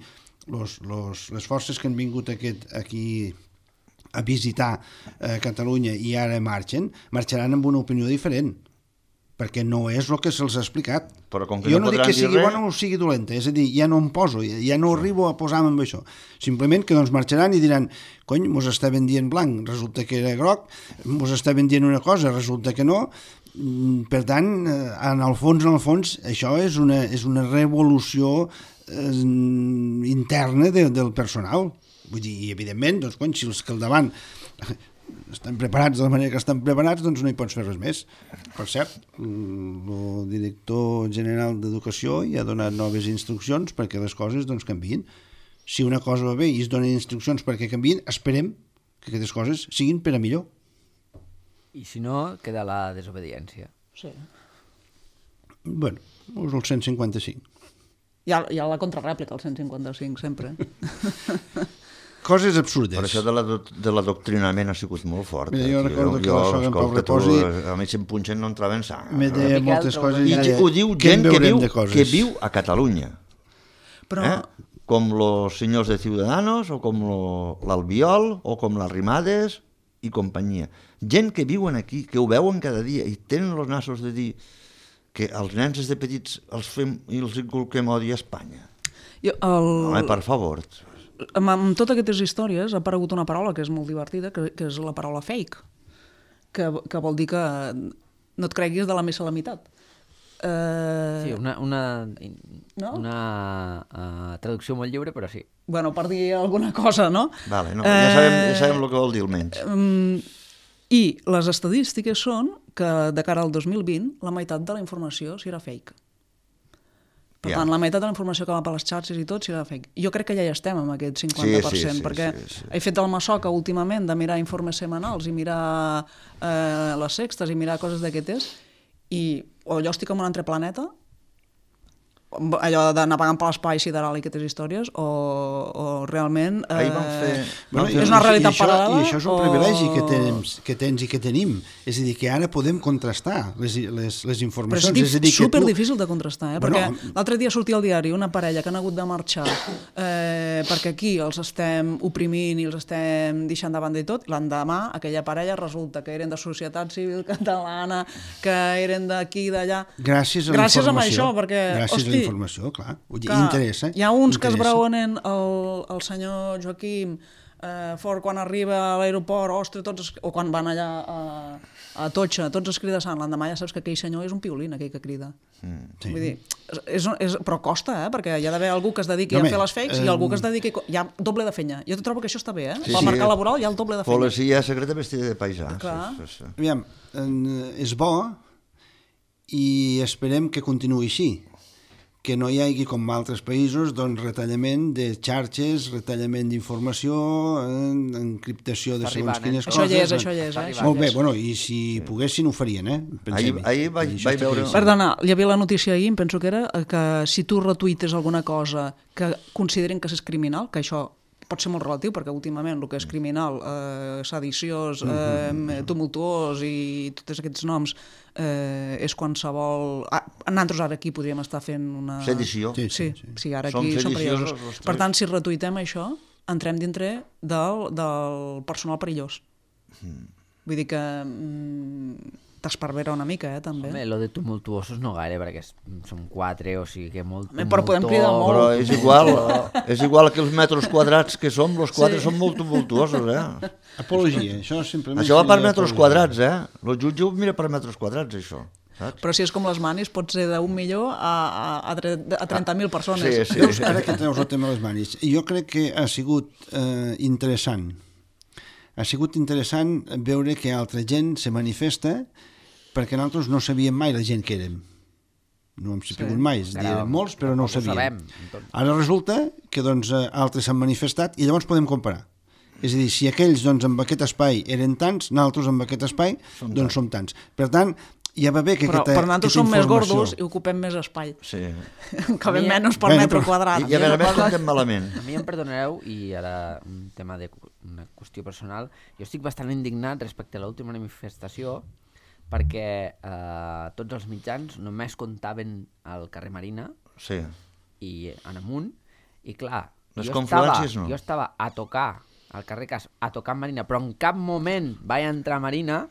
les forces que han vingut aquí a visitar Catalunya i ara marxaran amb una opinió diferent, perquè no és el que se'ls ha explicat. Jo no dic que sigui bona o sigui dolenta, és a dir, ja no em poso, ja no arribo a posar-me amb això. Simplement que doncs marxaran i diran, cony, mos estaven dient blanc, resulta que era groc, mos estaven dient una cosa, resulta que no. Per tant, en el fons, això és una revolució interna del personal. Vull dir, i evidentment, doncs, si els que al davant estan preparats de la manera que estan preparats, doncs no hi pots fer res més. Per cert, el director general d'Educació ja ha donat noves instruccions perquè les coses doncs, canviïn. Si una cosa va bé i es donen instruccions perquè canviïn, esperem que aquestes coses siguin per a millor. I si no, queda la desobediència. Sí. Bueno, és el 155. Hi ha la contrarèplica, el 155, sempre. Coses absurdes. Però això de l'adoctrinament ha sigut molt fort. Mira, jo recordo que la sogra en Pau Reposi... A mi si em punxen no entrava en sang. Me deia moltes coses. I ho diu gent que viu a Catalunya. Però... Com los senyors de Ciudadanos, o com l'Albiol, o com les Rimades i companyia. Gent que viuen aquí, que ho veuen cada dia i tenen els nassos de dir que els nens des de petits els fem i els inculquem odi a Espanya. Home, per favor. Amb totes aquestes històries ha aparegut una paraula que és molt divertida, que és la paraula fake, que vol dir que no et creguis de la missa a la meitat. Sí, una traducció molt lliure, però sí. Bueno, per dir alguna cosa, no? Vale, no, ja sabem el que vol dir almenys. I les estadístiques són que de cara al 2020 la meitat de la informació serà fake. Per tant, la meitat de la informació que va per les xarxes i tot serà fake. Jo crec que ja hi estem amb aquest 50%, perquè he fet el masoca últimament de mirar informes setmanals i mirar les sextes i mirar coses d'aquestes, i o jo estic en un altre planeta, allò de navegant per l'espai sideral i aquestes històries, o realment és una realitat paral·lela. I això és un privilegi que tens i que tenim. És a dir, que ara podem contrastar les informacions. Però és superdifícil de contrastar, perquè l'altre dia sortia al diari una parella que han hagut de marxar perquè aquí els estem oprimint i els estem deixant de banda i tot. L'endemà aquella parella resulta que eren de Societat Civil Catalana, que eren d'aquí i d'allà. Gràcies a això, perquè, informació, clar, interessa. Hi ha uns que es braonen el senyor Joaquim fort quan arriba a l'aeroport, ostres, o quan van allà a Totxa, tots es crida sant, l'endemà ja saps que aquell senyor és un piolín, aquell que crida. Vull dir, però costa, perquè hi ha d'haver algú que es dediqui a fer les fakes i algú que es dediqui... Hi ha doble de feina. Jo trobo que això està bé, pel mercat laboral hi ha el doble de feina. Policia secreta vestida de paisà. Aviam, és bo i esperem que continuï així, que no hi hagi, com a altres països, doncs retallament de xarxes, retallament d'informació, encriptació de segons quines coses. Això hi és. Molt bé, i si poguessin ho farien, Ahir vaig veure... Perdona, hi havia la notícia ahir, em penso que era, que si tu retuites alguna cosa que consideren que és criminal, que això pot ser molt relatiu, perquè últimament el que és criminal, sediciós, tumultuós i tots aquests noms, és qualsevol... Nosaltres ara aquí podríem estar fent una... Sedició. Sí, ara aquí som perillosos. Per tant, si retuitem això, entrem dintre del personal perillós. Vull dir que t'esparvera una mica, també. Home, lo de tumultuosos no gaire, perquè som 4, o sigui que molt tumultuós... Però podem cridar molt. Però és igual que els metres quadrats que som, els 4 són molt tumultuosos, Apologia, això simplement... Això va per metres quadrats, El jutge ho mira per metres quadrats, això. Saps? Però si és com les manis, pot ser d'1 milió a 30.000 persones. Sí. Ara que treus el tema de les manis, jo crec que ha sigut interessant. Ha sigut interessant veure que altra gent se manifesta perquè nosaltres no sabíem mai la gent que érem. No hem sabut mai, érem molts, però no ho sabíem. Ara resulta que altres s'han manifestat i llavors podem comparar. És a dir, si aquells amb aquest espai eren tants, nosaltres amb aquest espai som tants. Per tant, ja va bé que aquesta informació... Però nosaltres som més gordos i ocupem més espai. Sí. Cabem menys per metro quadrat. I a més comptem malament. A mi em perdonareu, i ara un tema una qüestió personal, jo estic bastant indignat respecte a l'última manifestació perquè tots els mitjans només comptaven al carrer Marina i en amunt, i clar, jo estava a tocar al carrer Cas, a tocar Marina, però en cap moment vaig entrar a Marina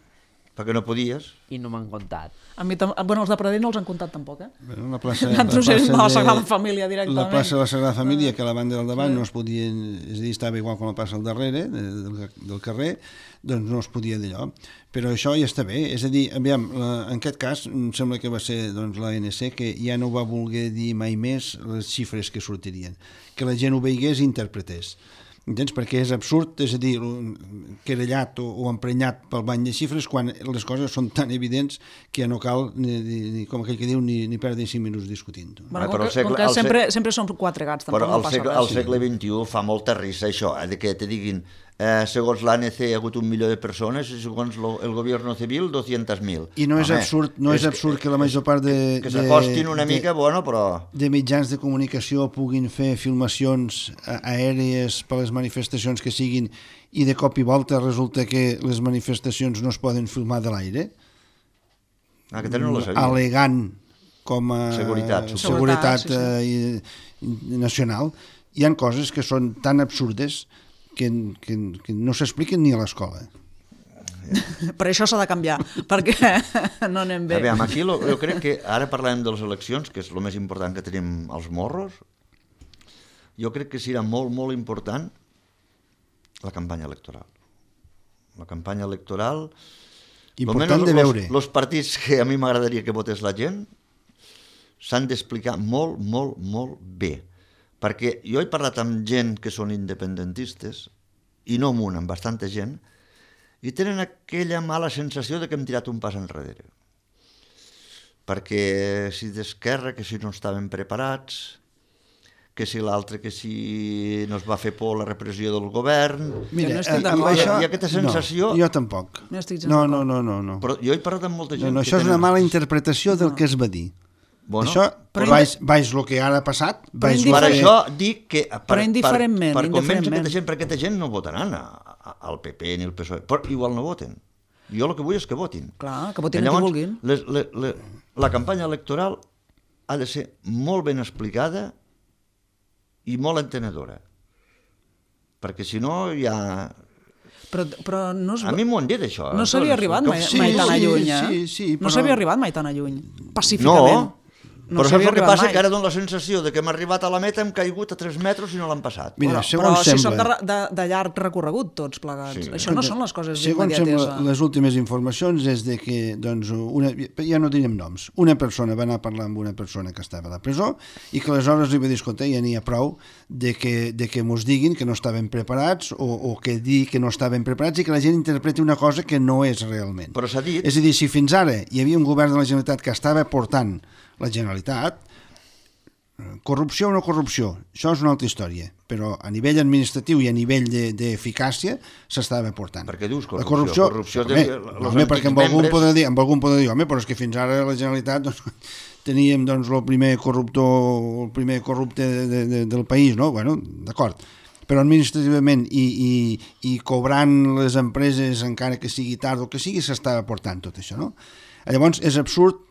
perquè no podies. I no m'han comptat. A mi, els de Pradell no els han comptat tampoc, La plaça de la Sagrada Família directament. La plaça de la Sagrada Família, que a la banda del davant no es podia, és a dir, estava igual com la plaça al darrere del carrer, doncs no es podia d'allò. Però això ja està bé, és a dir, aviam, en aquest cas em sembla que va ser l'ANC que ja no va voler dir mai més les xifres que sortirien, que la gent ho veiés i interpretés. Entens? Perquè és absurd, és a dir, querellat o emprenyat pel bany de xifres quan les coses són tan evidents que ja no cal, com aquell que diu, ni perdre 5 minuts discutint. Com que sempre són 4 gats, tampoc no passa res. Però al segle XXI fa molta risa això, que te diguin segons l'ANC hi ha hagut 1 milió de persones i segons el govern civil 200.000. I no és absurd que la major part que s'acostin una mica, però... de mitjans de comunicació puguin fer filmacions aèries per les manifestacions que siguin i de cop i volta resulta que les manifestacions no es poden filmar de l'aire? Aquesta no la sabia. Alegant com a seguretat nacional. Hi ha coses que són tan absurdes que no s'expliquen ni a l'escola. Per això s'ha de canviar, perquè no anem bé. Aquí jo crec que ara parlem de les eleccions, que és el més important que tenim als morros. Jo crec que serà molt, molt important la campanya electoral. La campanya electoral... Important de veure. Els partits que a mi m'agradaria que votés la gent s'han d'explicar molt, molt, molt bé. Perquè jo he parlat amb gent que són independentistes, i no amb una, amb bastanta gent, i tenen aquella mala sensació de que hem tirat un pas enrere. perquè si d'Esquerra, que si no estaven preparats, que si l'altre, que si no es va fer por la repressió del govern... Mira, no estic d'acord. Hi ha aquesta sensació... No, jo tampoc. No estic gens No. Però jo he parlat amb molta gent... No, això és una mala interpretació del que es va dir. Bueno, això, veig el que ara ha passat... Per això dic que... Però indiferentment. Per convèncer aquesta gent, perquè aquesta gent no votaran al PP ni al PSOE, però igual no voten. Jo el que vull és que votin. Clar, que votin el que vulguin. La campanya electoral ha de ser molt ben explicada i molt entenedora. Perquè si no hi ha... Però no a mi m'ho han dit, això. No s'havia arribat mai tan lluny, eh? Sí, no s'havia arribat mai tan lluny, pacíficament. No, però saps el que passa? Que ara dono la sensació de que hem arribat a la meta, hem caigut a 3 metres i no l'han passat. Mira, però si són de llarg recorregut tots plegats. Sí. Això no són les coses d'immediatesa. Segons sembla, les últimes informacions és de que, doncs, ja no direm noms, una persona va anar a parlar amb una persona que estava a la presó i que aleshores li va dir, escolta, ja n'hi ha prou de que mos diguin que no estaven preparats o que dir que no estaven preparats i que la gent interpreti una cosa que no és realment. Però s'ha dit... És a dir, si fins ara hi havia un govern de la Generalitat que estava portant la Generalitat, corrupció o no corrupció, això és una altra història, però a nivell administratiu i a nivell d'eficàcia s'estava portant. Per què dius corrupció? Perquè amb algun podrà dir, home, però és que fins ara la Generalitat teníem el primer corrupte del país, no? Bueno, d'acord. Però administrativament i cobrant les empreses encara que sigui tard o que sigui, s'estava portant tot això, no? Llavors és absurd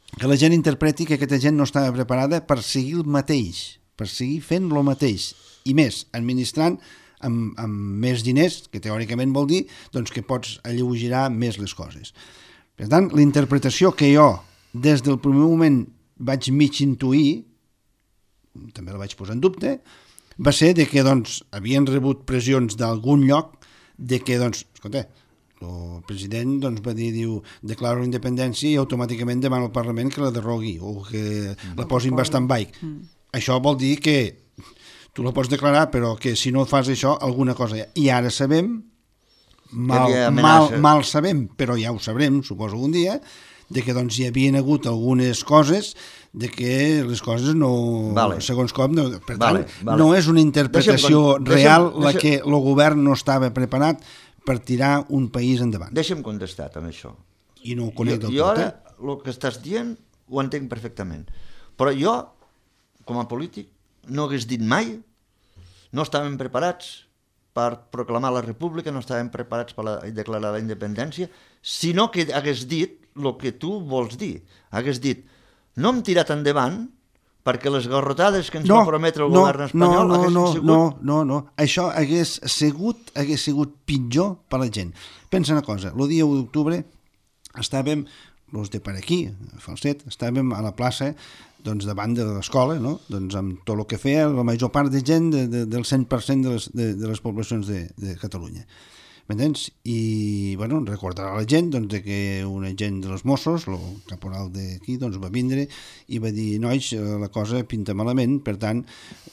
que la gent interpreti que aquesta gent no estava preparada per seguir el mateix, per seguir fent el mateix, i més, administrant amb més diners, que teòricament vol dir doncs, que pots alleugerar més les coses. Per tant, la interpretació que jo, des del primer moment, vaig mig intuir, també la vaig posar en dubte, va ser de que doncs, havien rebut pressions d'algun lloc de que, doncs, escolta, el president doncs, va dir, declaro la independència i automàticament demana al Parlament que la derrogui o que la posin bastant baix. Això vol dir que tu la pots declarar, però que si no fas això, alguna cosa hi ha. I ara sabem, mal sabem, però ja ho sabrem, suposo un dia, de que doncs, hi havien hagut algunes coses de que les coses no... segons com... Per tant, no és una interpretació real la que el govern no estava preparat per tirar un país endavant. Deixa'm contestar amb això. I no ho conec del tot. Jo ara, el que estàs dient, ho entenc perfectament. Però jo, com a polític, no hagués dit mai, no estàvem preparats per proclamar la república, no estàvem preparats per declarar la independència, sinó que hagués dit el que tu vols dir. Hagués dit, no hem tirat endavant perquè les garrotades que ens va prometre el govern espanyol haguessin sigut... No. Això hagués sigut pitjor per la gent. Pensa una cosa, el dia 1 d'octubre estàvem, els de per aquí, a Falset, estàvem a la plaça doncs, davant de l'escola, no? Doncs, amb tot el que feia la major part de gent del 100% de les poblacions de Catalunya. M'entens? I, bueno, recordarà la gent doncs, de que un agent dels Mossos, el caporal d'aquí, doncs, va vindre i va dir, nois, la cosa pinta malament, per tant,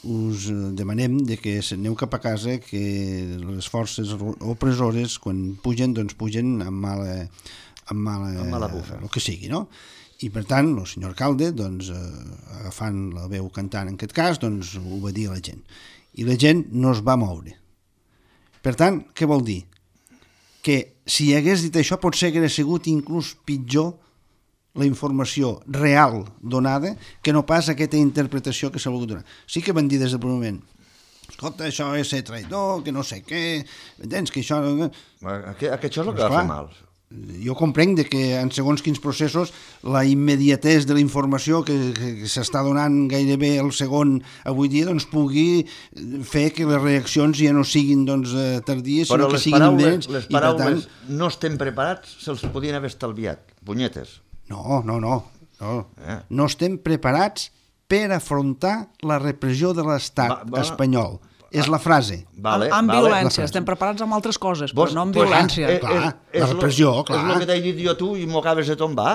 us demanem de que aneu cap a casa, que les forces opressores, quan pugen, doncs pugen amb mala bufa. El que sigui, no? I, per tant, el senyor alcalde, doncs, agafant la veu cantant en aquest cas, doncs, ho va dir a la gent. I la gent no es va moure. Per tant, què vol dir? Que si hagués dit això potser hauria sigut inclús pitjor la informació real donada que no pas aquesta interpretació que s'ha volgut donar. Sí que van dir des del primer moment, escolta, això és ser traïdor, que no sé què, entens que això... Això és el que va fer mal. Jo comprenc que en segons quins processos la immediatesa de la informació que s'està donant gairebé el segon avui dia doncs pugui fer que les reaccions ja no siguin doncs, tardies, sinó que siguin immediates. Les paraules no estem preparats se'ls podien haver estalviat, punyetes. No. No estem preparats per afrontar la repressió de l'estat espanyol. És la frase. Amb violència, estem preparats amb altres coses, però no amb violència. Clar, la repressió, clar. És el que t'he dit jo tu i m'ho acabes de tombar.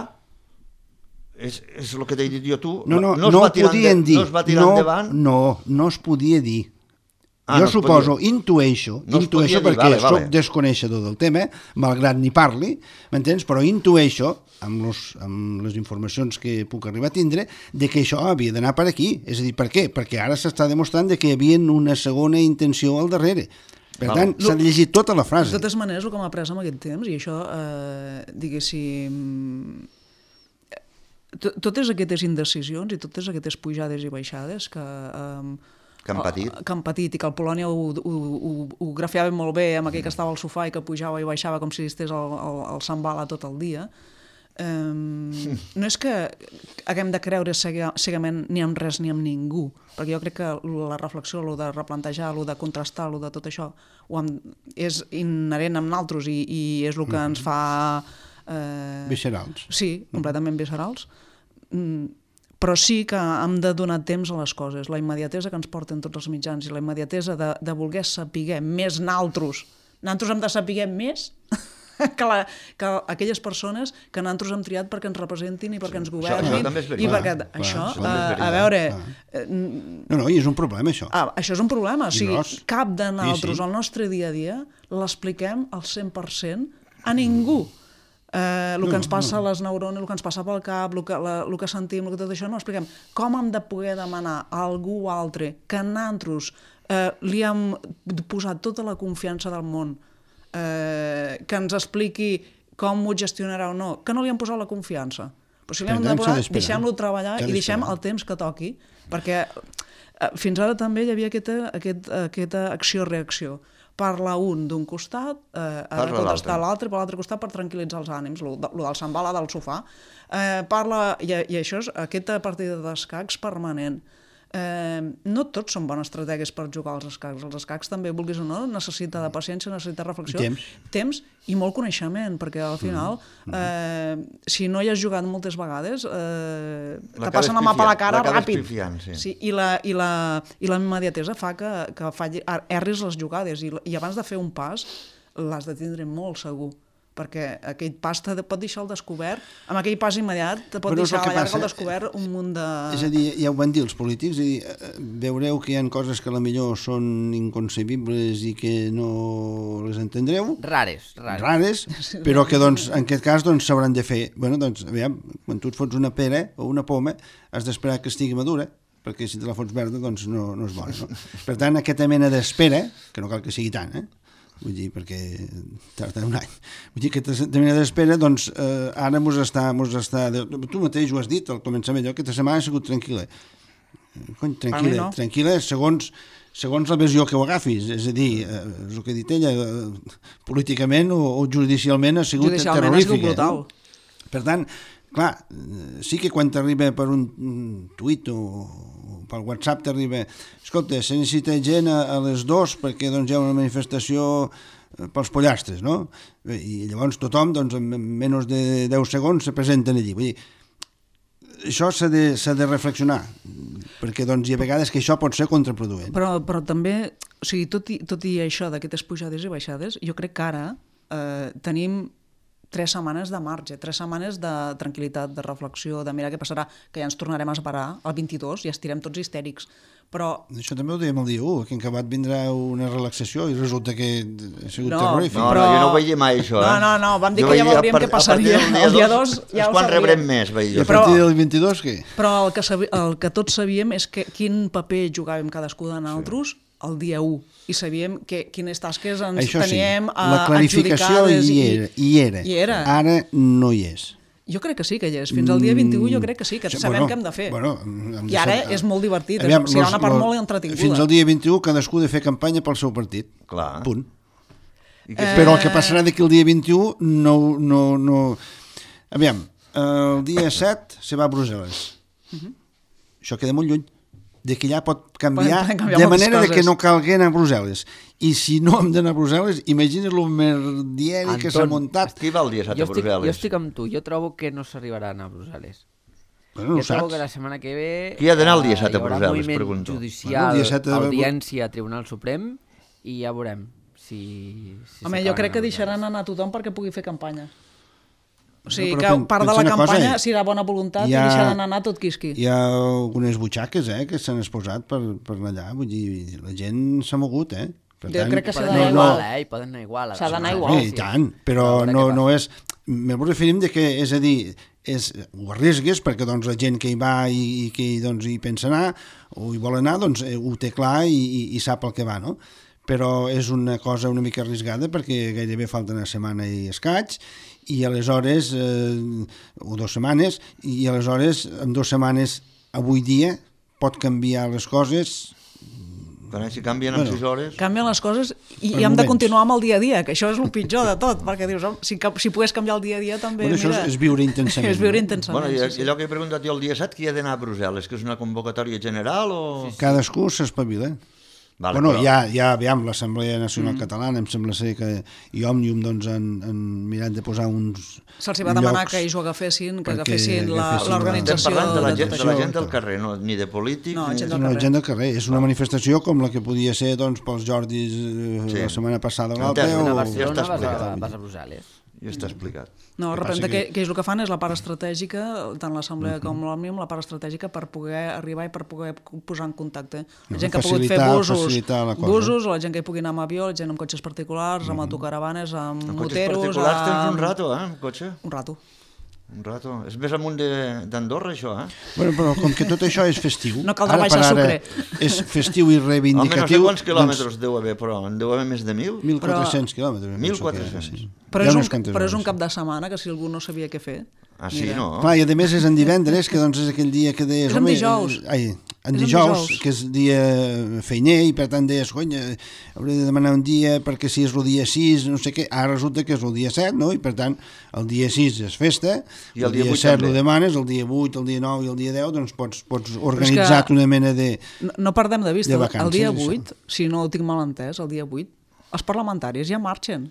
És el que t'he dit jo tu. No ho podien dir. No es va tirar endavant. No es podia dir. Jo suposo, intueixo perquè soc desconeixedor del tema, malgrat ni parli, m'entens? Però intueixo, amb les informacions que puc arribar a tindre, de que això havia d'anar per aquí. És a dir, per què? Perquè ara s'està demostrant que hi havia una segona intenció al darrere. Per tant, s'ha de llegir tota la frase. De totes maneres, el que m'ha après amb aquest temps, i això, diguéssim, totes aquestes indecisions i totes aquestes pujades i baixades que han patit i que el Polònia ho grafiava molt bé amb aquell que estava al sofà i que pujava i baixava com si estigués al Sambala tot el dia. No és que haguem de creure cegament ni en res ni en ningú, perquè jo crec que la reflexió, el de replantejar, el de contrastar, el de tot això és inherent amb nosaltres i és el que ens fa... Viscerals. Sí, completament viscerals. Però sí que hem de donar temps a les coses. La immediatesa que ens porten tots els mitjans i la immediatesa de voler saber més nosaltres hem de saber més que aquelles persones que nosaltres hem triat perquè ens representin i perquè ens governin. Això també és veritat. A veure... No, i és un problema, això. Això és un problema. O sigui, cap de nosaltres, al nostre dia a dia, l'expliquem al 100% a ningú. El que ens passa a les neurones, el que ens passa pel cap, el que sentim, tot això, no ho expliquem. Com hem de poder demanar a algú altre que nosaltres li hem posat tota la confiança del món, que ens expliqui com ho gestionarà o no, que no li hem posat la confiança? Però si li hem de posar, deixem-lo treballar i deixem el temps que toqui, perquè fins ara també hi havia aquesta acció-reacció. Parla un d'un costat, ha de contestar l'altre per l'altre costat per tranquil·litzar els ànims, el del Sambala del sofà. I això és aquesta partida d'escacs permanent. No tots són bones estratègies per jugar als escacs. Els escacs també, vulguis o no, necessita de paciència, necessita reflexió, temps i molt coneixement, perquè al final, si no hi has jugat moltes vegades, te passen la mà per la cara ràpid. I la immediatesa fa que erris les jugades i abans de fer un pas l'has de tindre molt segur, perquè aquell pas te pot deixar al descobert, amb aquell pas immediat te pot deixar a la llarga al descobert un munt de... És a dir, ja ho van dir els polítics, veureu que hi ha coses que a la millor són inconcebibles i que no les entendreu. Rares. Però que en aquest cas s'hauran de fer. Aviam, quan tu et fots una pera o una poma, has d'esperar que estigui madura, perquè si te la fots verda no és bona. No? Per tant, aquesta mena d'espera, que no cal que sigui tant, vull dir, perquè tarda un any. Vull dir que aquesta mena d'espera, ara mos està... Tu mateix ho has dit al començament, aquesta setmana ha sigut tranquil·la. Tranquil·la segons la versió que ho agafis. És a dir, el que ha dit ella, políticament o judicialment ha sigut terrorífica. Ha sigut brutal. Per tant, clar, sí que quan t'arriba per un tuit o pel WhatsApp t'arriba, escolta, se necessita gent a les 2 perquè hi ha una manifestació pels pollastres, no? I llavors tothom, en menys de 10 segons, se presenten allí. Vull dir, això s'ha de reflexionar, perquè hi ha vegades que això pot ser contraproduent. Però també, o sigui, tot i això d'aquestes pujades i baixades, jo crec que ara tenim 3 setmanes de marge, 3 setmanes de tranquil·litat, de reflexió, de mirar què passarà, que ja ens tornarem a separar el 22 i estirem tots histèrics. Però... Això també ho dèiem el dia 1, que en acabat vindrà una relaxació i resulta que ha sigut terrorífic. No, jo no ho veia mai, això. No, vam dir que ja veuríem què passaria. El dia 2 ja ho quan rebrem més, veia jo. I a partir del 22, què? Però el que tots sabíem és quin paper jugàvem cadascú de nosaltres el dia 1 i sabíem quines tasques ens teníem adjudicades. La clarificació hi era. Ara no hi és. Jo crec que sí que hi és. Fins al dia 21 jo crec que sí, que sabem què hem de fer. I ara és molt divertit. Serà una part molt entretinguda. Fins al dia 21 cadascú ha de fer campanya pel seu partit. Clar. Punt. Però el que passarà d'aquí el dia 21 no... Aviam, el dia 7 se va a Brussel·les. Això queda molt lluny. Que allà pot canviar de manera que no calgui anar a Brussel·les. I si no hem d'anar a Brussel·les, imagina't el merdieri que s'ha muntat. Qui va el dia 7 a Brussel·les? Jo estic amb tu, jo trobo que no s'arribarà a anar a Brussel·les. Bueno, jo trobo que la setmana que ve qui ha d'anar el dia 7 a hi Brussel·les, haurà moviment judicial, audiència, Tribunal Suprem, i ja veurem si home, jo crec que deixaran anar tothom perquè pugui fer campanya. O sigui, que part de la campanya, si hi ha bona voluntat, i deixar d'anar tot quisqui. Hi ha algunes butxaques que s'han exposat per allà, vull dir, la gent s'ha mogut, Per jo crec que s'ha d'anar igual, hi poden anar igual. S'ha d'anar igual. I tant, però no és... Me referim de que, és a dir, ho arriesgues perquè doncs, la gent que hi va i que doncs, hi pensa anar o hi vol anar, doncs ho té clar i sap el que va, no? Però és una cosa una mica arriscada perquè gairebé falta una setmana i escaig i aleshores, o 2 setmanes, i aleshores en 2 setmanes avui dia pot canviar les coses. Quan si canvien en 6 hores... Canvien les coses i hem de continuar amb el dia a dia, que això és el pitjor de tot, perquè dius, si pogués canviar el dia a dia també... Bueno, això és viure intensament. És viure intensament, bueno, i allò que he preguntat jo el dia 7, qui ha d'anar a Brussel·les, que és una convocatòria general o...? Cadascú s'espavila. Vale, bueno, però... aviam, l'Assemblea Nacional Catalana, em sembla ser que i Òmnium doncs, han mirat de posar uns se'ls va demanar que ells ho agafessin, que agafessin l'organització... Estem parlant de la gent del carrer, no, ni de polítics... No, la gent del carrer. És una manifestació com la que podia ser doncs, pels Jordis la setmana passada o l'altra. A Barcelona vas a Brussel·les. Ja està explicat. No, representa que és el que fan és la part estratègica, tant l'Assemblea com l'Òmnium, la part estratègica per poder arribar i per poder posar en contacte. La gent que ha pogut fer busos, la gent que hi pugui anar amb avió, la gent amb cotxes particulars, amb autocaravanes, amb moteros... Amb cotxes particulars tens un rato, amb cotxe? Un rato. Un rato. És més amunt d'Andorra, això, Bueno, però com que tot això és festiu... No caldrà baixar sucre. És festiu i reivindicatiu... Home, no sé quants quilòmetres deu haver, però en deu haver més de 1.000? 1.400 quilòmetres. 1.400. Però és un cap de setmana que si algú no sabia què fer... Ah, sí, no? Clar, i a més és en divendres, que doncs és aquell dia que deies... És en dijous. En dijous, que és dia feiner, i per tant deies, cony, hauré de demanar un dia perquè si és el dia 6, no sé què, ara resulta que és el dia 7, no? I per tant, el dia 6 és festa, i el dia 7 ho demanes, el dia 8, el dia 9 i el dia 10, doncs pots organitzar una mena de no perdem de vista, el dia 8, si no ho tinc mal entès, el dia 8, els parlamentaris ja marxen.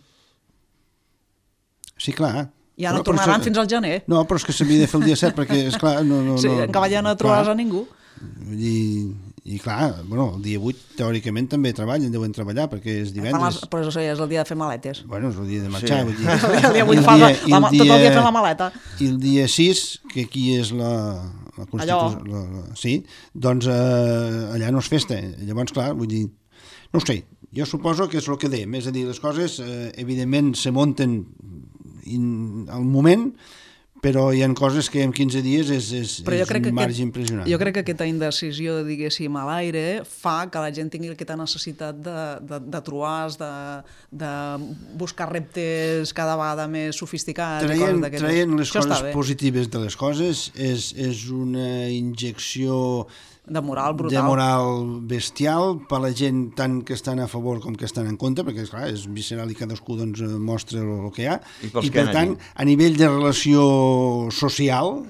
Sí, clar. Ja no tornaran fins al gener. No, però és que s'havia de fer el dia 7 perquè, esclar... Sí, en Cavallà no trobaràs a ningú. I clar, bueno, el dia 8 teòricament també deuen treballar perquè és divendres. Però això ja és el dia de fer maletes. Bueno, és el dia de marxar. Sí. El dia 8 tot el dia fent la maleta. I el dia 6, que aquí és la Constitució... Sí, doncs allà no és festa. Llavors, clar, vull dir... No ho sé, jo suposo que és el que dèiem, és a dir, les coses evidentment se munten al moment, però hi ha coses que en 15 dies és un marge impressionant. Jo crec que aquesta indecisió, diguéssim, a l'aire fa que la gent tingui aquesta necessitat de trobar, de buscar reptes cada vegada més sofisticats. Traient les coses positives de les coses és una injecció de moral brutal. De moral bestial per la gent tant que estan a favor com que estan en contra, perquè esclar, és visceral i cadascú doncs, mostra el que hi ha. I per tant, a nivell de relació social,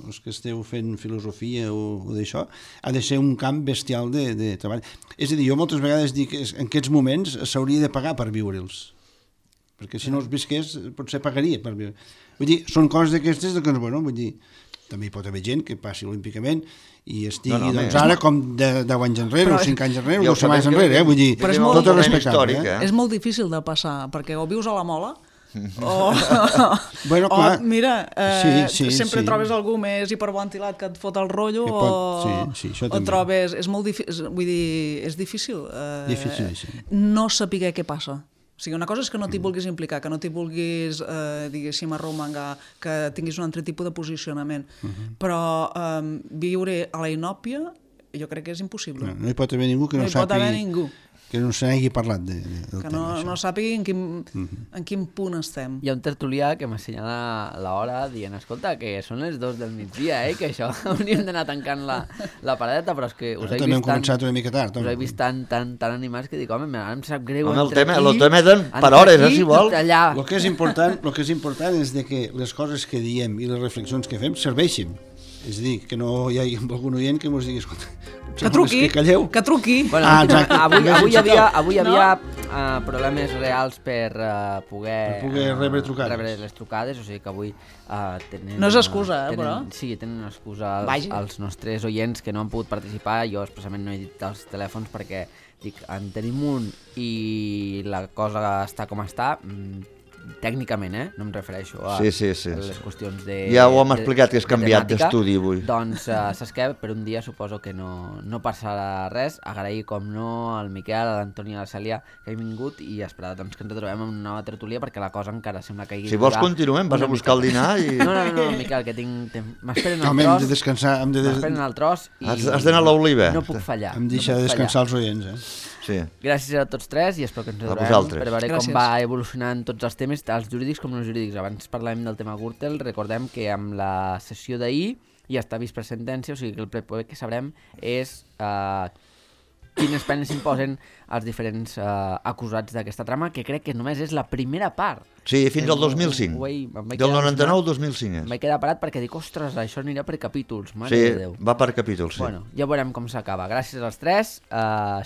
els que esteu fent filosofia o d'això, ha de ser un camp bestial de treball. És a dir, jo moltes vegades dic que en aquests moments s'hauria de pagar per viure'ls, perquè si no els visqués potser pagaria per viure. Vull dir, són coses d'aquestes que, bueno, vull dir, també hi pot haver gent que passi olímpicament i estigui doncs ara com 10 anys enrere o 5 anys enrere o 2 setmanes enrere, vull dir, tot és respectable. És molt difícil de passar, perquè o vius a la Mola o mira, sempre trobes algú més hiperventilat que et fot el rotllo o trobes, és molt difícil, vull dir, és difícil no saber què passa. O sigui, una cosa és que no t'hi vulguis implicar, que no t'hi vulguis, diguéssim, arromangar, que tinguis un altre tipus de posicionament. Però viure a la inòpia jo crec que és impossible. No hi pot haver ningú que no sàpiga, que no se n'hagi parlat del tema. Que no sàpiga en quin punt estem. Hi ha un tertulià que m'assenyala l'hora dient, escolta, que són les 2 del migdia, que això hauríem d'anar tancant la paradeta, però és que us he vist començat una mica tard. Us he vist tan animats que dic, home, ara em sap greu el tema per hores, si vol. El que és important és que les coses que diem i les reflexions que fem serveixin. És a dir, que no hi hagi algun oient que ens digui, escolta, que truqui. Bueno, avui hi havia problemes reals per poder rebre les trucades, o sigui que avui tenen... No és excusa, però... Sí, tenen excusa els nostres oients que no han pogut participar. Jo expressament no he dit els telèfons perquè dic, en tenim un i la cosa està com està, tècnicament, no em refereixo a Sí. les qüestions de... Ja ho hem explicat, que has canviat temàtica. d'estudi avui. Doncs saps què? Per un dia suposo que no passarà res. Agrair, com no, al Miquel, a l'Antoni i a la Cèlia que han vingut i esperar doncs, que ens retrobem en una nova tertúlia perquè la cosa encara sembla que Si vols continuem, vas a buscar el dinar i... No, Miquel, que tinc... M'esperen Home, el hem tros. de descansar, M'esperen el tros i... Has d'anar a l'Oliva. No puc fallar. hem de deixar de descansar els oients, Sí. Gràcies a tots tres i espero que ens A trobem vosaltres. per veure Gràcies. com va evolucionant tots els temes, tant els jurídics com no jurídics. Abans parlàvem del tema Gürtel, recordem que amb la sessió d'ahir ja està vist per sentència, o sigui que el proper que sabrem és quines penes s'imposen als diferents acusats d'aquesta trama, que crec que només és la primera part. Sí, fins al 2005. Del 99 al 2005 Em és. vaig quedar parat perquè dic, ostres, això anirà per capítols, mare Sí, de Déu. va per capítols, sí. Bueno, ja veurem com s'acaba. Gràcies als tres,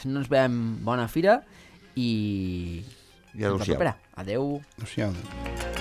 si no ens veiem, bona fira i... I adéu-siau. Adéu. Adéu-siau.